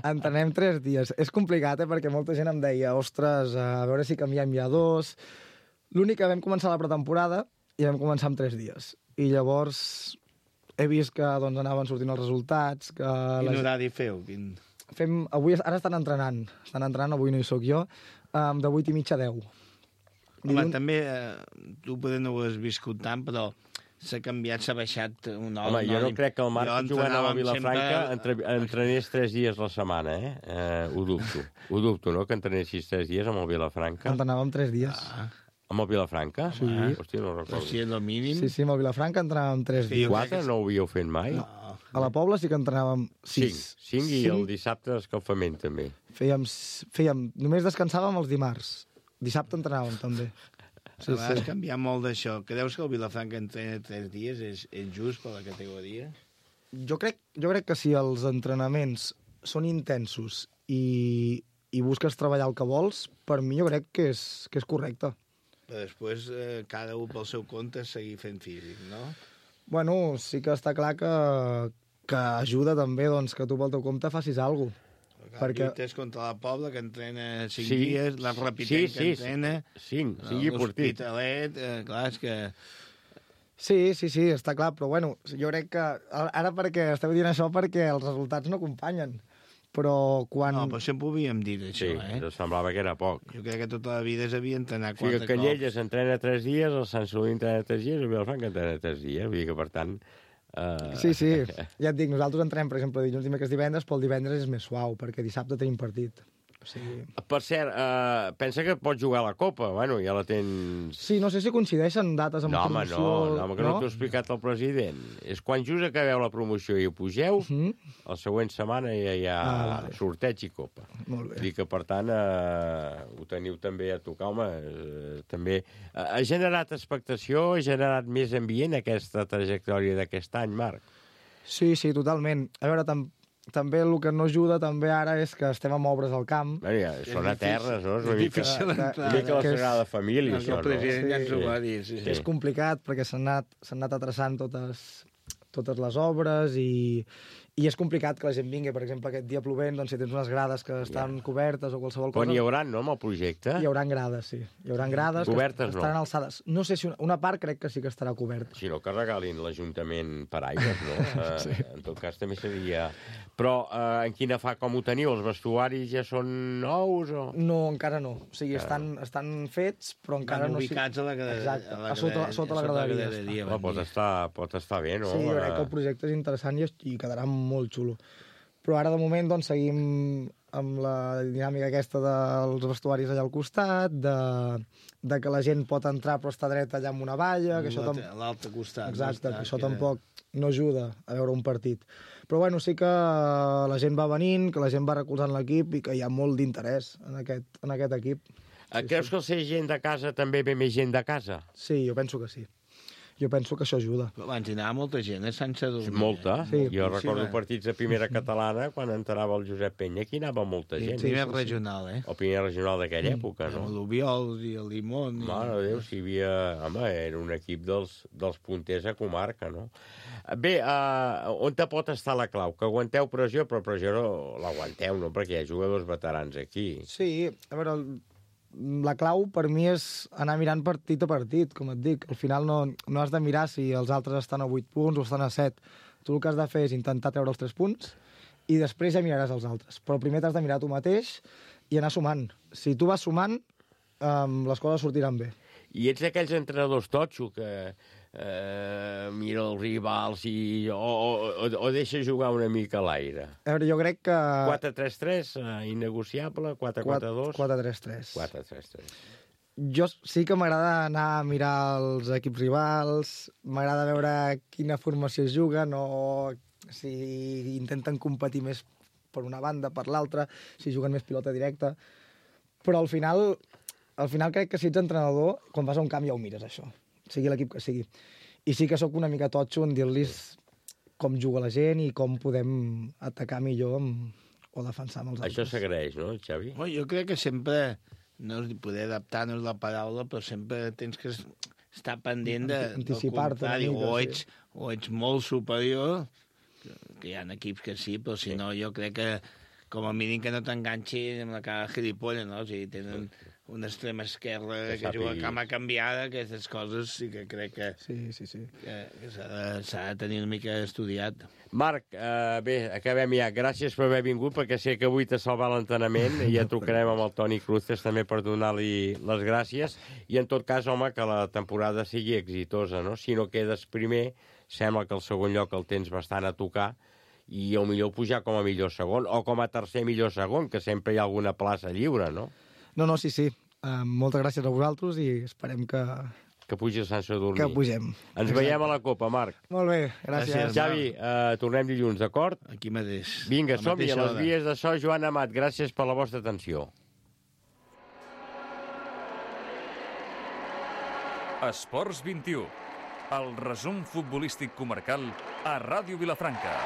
Entrenem tres dies. És complicat, eh? Perquè molta gent em deia ostres, a veure si canviem ja dos... L'únic que vam començar la pretemporada i vam començar amb tres dies. I llavors he vist que doncs, anaven sortint els resultats... Que Quin les... horari feu? Quin... Fem... Avui, ara estan entrenant. Estan entrenant, avui no hi sóc jo, um, de vuit i mitja a deu. Home, Dilun... també, eh, tu potser no ho has viscut tant, però... s'ha canviat, s'ha baixat un home. Home, jo no crec que el Marc jugant a la Vilafranca sempre... entre, entrenés tres dies la setmana, eh? eh? Ho dubto. Ho dubto, no?, que entrenessis tres dies amb el Vilafranca. Entrenàvem tres dies. Ah. Amb el Vilafranca? Sí. Ah, hòstia, no recordo. Sí, és el mínim. Sí, sí, amb el Vilafranca entrenàvem tres sí, dies. Quatre no ho havíeu fet mai? No. A la Pobla sí que entrenàvem sis. Cinc. Cinc i cinc. El dissabte escalfament, també. Fèiem, fèiem... Només descansàvem els dimarts. Dissabte entrenàvem, també. Sí, a vegades sí. Canviar molt d'això. Creus que el Vilafranca entrena tres dies és, és just per la categoria? Jo crec, jo crec que si els entrenaments són intensos i, i busques treballar el que vols, per mi jo crec que és, que és correcte. Però després, eh, cada un pel seu compte, seguir fent físic, no? Bueno, sí que està clar que, que ajuda també doncs, que tu pel teu compte facis alguna cosa. Perquè... Lluites contra la Pobla, que entrena cinc sí. dies, la Rapitenc, sí, sí, que entrena... Cinc, cinc i portit. L'Hospitalet, eh, clar, és que... Sí, sí, sí, està clar, però bueno, jo crec que... Ara perquè esteu dient això perquè els resultats no acompanyen, però quan... No, però sempre ho havíem dit, això, sí, eh? Sí, semblava que era poc. Jo crec que tota la vida s'havia d'entrenar quatre cops. O sigui, que Canyelles entrena tres dies, el Sant Celoni entrena tres dies, el Vilafranca entrena tres dies, vull dir que, per tant... Uh... Sí, sí, ja et dic, nosaltres entrenem, per exemple, dilluns, dimecres, divendres, però el divendres és més suau, perquè dissabte tenim partit. O sigui... Per cert, uh, pensa que pots jugar a la Copa. Bueno, ja la tens... Sí, no sé si coincideixen dates amb no, home, promoció... No, no, home, que no, no t'ho ha explicat el president. És quan just acabeu la promoció i ho pugeu, uh -huh. la següent setmana ja hi ha ah, vale. sorteig i Copa. Molt bé. Dic que, per tant, uh, ho teniu també a tocar, home. Uh, també uh, ha generat expectació, ha generat més ambient aquesta trajectòria d'aquest any, Marc. Sí, sí, totalment. A veure, tam també el que no ajuda també ara és que estem amb obres al camp. Bueno, ja, són eternes, no? És una mica, una mica la Sagrada Família, això, no? El president ja ens ho va dir, sí, sí. És complicat perquè s'han anat, s'han anat atrasant totes, totes les obres i, i és complicat que la gent vingui. Per exemple, aquest dia plovent, doncs si tens unes grades que estan ja. cobertes o qualsevol cosa... Quan hi haurà, no, amb el projecte? Hi haurà grades, sí. Hi haurà grades cobertes, que estaran no. alçades. No sé si una, una part crec que sí que estarà coberta. Si no, que regalin l'Ajuntament paraigües, no? sí. uh, en tot cas, també seria... Però uh, en quina fa, com ho teniu? Els vestuaris ja són nous o...? No, encara no. O sigui, estan, estan fets, però encara no... ubicats a la graderia. Exacte, a, a sota, sota la graderia. graderia oh, pot, estar, pot estar bé, no? Sí, jo crec que el projecte és interessant i, i quedarà molt xulo. Però ara, de moment, doncs, seguim amb la dinàmica aquesta dels vestuaris allà al costat, de, de que la gent pot entrar però està dreta allà amb una valla... Que això tam... l'altre costat. Exacte, que això tampoc no ajuda a veure un partit. Però, bueno, sí que la gent va venint, que la gent va recolzant l'equip i que hi ha molt d'interès en, aquest, en aquest equip. Sí, Creus sí. que al ser gent de casa també ve més gent de casa? Sí, jo penso que sí. Jo penso que això ajuda. Però abans hi anava molta gent, a Sant Sadurní. Molta. Sí, jo recordo sí, partits de primera catalana, quan entrava el Josep Penya, aquí anava molta gent. Sí, primer sí, regional, eh? O primer regional d'aquella mm. època, no? El Lubiol i el Limón. I... Mare de Déu, si hi havia... Home, era un equip dels, dels punters a comarca, no? Bé, uh, on te pot estar la clau? Que aguanteu pressió, però pressió no l'aguanteu, no? Perquè hi ha jugadors veterans aquí. Sí, a veure... El... La clau per mi és anar mirant partit a partit, com et dic. Al final no, no has de mirar si els altres estan a vuit punts o estan a set. Tu el que has de fer és intentar treure els tres punts i després ja miraràs els altres. Però primer t'has de mirar tu mateix i anar sumant. Si tu vas sumant, um, les coses sortiran bé. I ets d'aquells entrenadors totxo que eh, mira els rivals i, o, o, o deixa jugar una mica a l'aire? A veure, jo crec que... quatre tres tres, eh, innegociable, quatre quatre dos... quatre tres tres. quatre tres tres. Jo sí que m'agrada anar a mirar els equips rivals, m'agrada veure quina formació es juguen o si intenten competir més per una banda, per l'altra, si juguen més pilota directa. Però al final... Al final crec que si ets entrenador, quan vas a un camp ja ho mires, això. Sigui l'equip que sigui. I sí que sóc una mica totxo en dir-los com juga la gent i com podem atacar millor amb, o defensar amb els altres. Això s'agraeix, no, Xavi? Oh, jo crec que sempre, no és poder adaptar, no és la paraula, però sempre tens que estar pendent de, anticipar-te una mica, o ets, sí. o ets molt superior, que hi ha equips que sí, però si sí. no, jo crec que com a mínim que no t'enganxi amb la cara gilipolla, no? O sigui, tenen... una extrema esquerra que, que juga a cama canviada, aquestes coses sí que crec que, sí, sí, sí. que, que s'ha de, de tenir una mica estudiat. Marc, eh, bé, acabem ja. Gràcies per haver vingut, perquè sé que avui t'ha salvat l'entrenament i ja trucarem amb el Toni Cruces també per donar-li les gràcies. I en tot cas, home, que la temporada sigui exitosa, no? Si no quedes primer, sembla que el segon lloc el tens bastant a tocar i o millor pujar com a millor segon o com a tercer millor segon, que sempre hi ha alguna plaça lliure, no? No, no, sí, sí. Uh, moltes gràcies a vosaltres i esperem que... Que pugi a Sant Sadurní. Que pugem. Ens Exacte. veiem a la Copa, Marc. Molt bé, gràcies. gràcies Xavi, uh, tornem dilluns, d'acord? Aquí mateix. Vinga, som-hi, a les vies de so, Joan Amat. Gràcies per la vostra atenció. Esports vint i u. El resum futbolístic comarcal a Ràdio Vilafranca.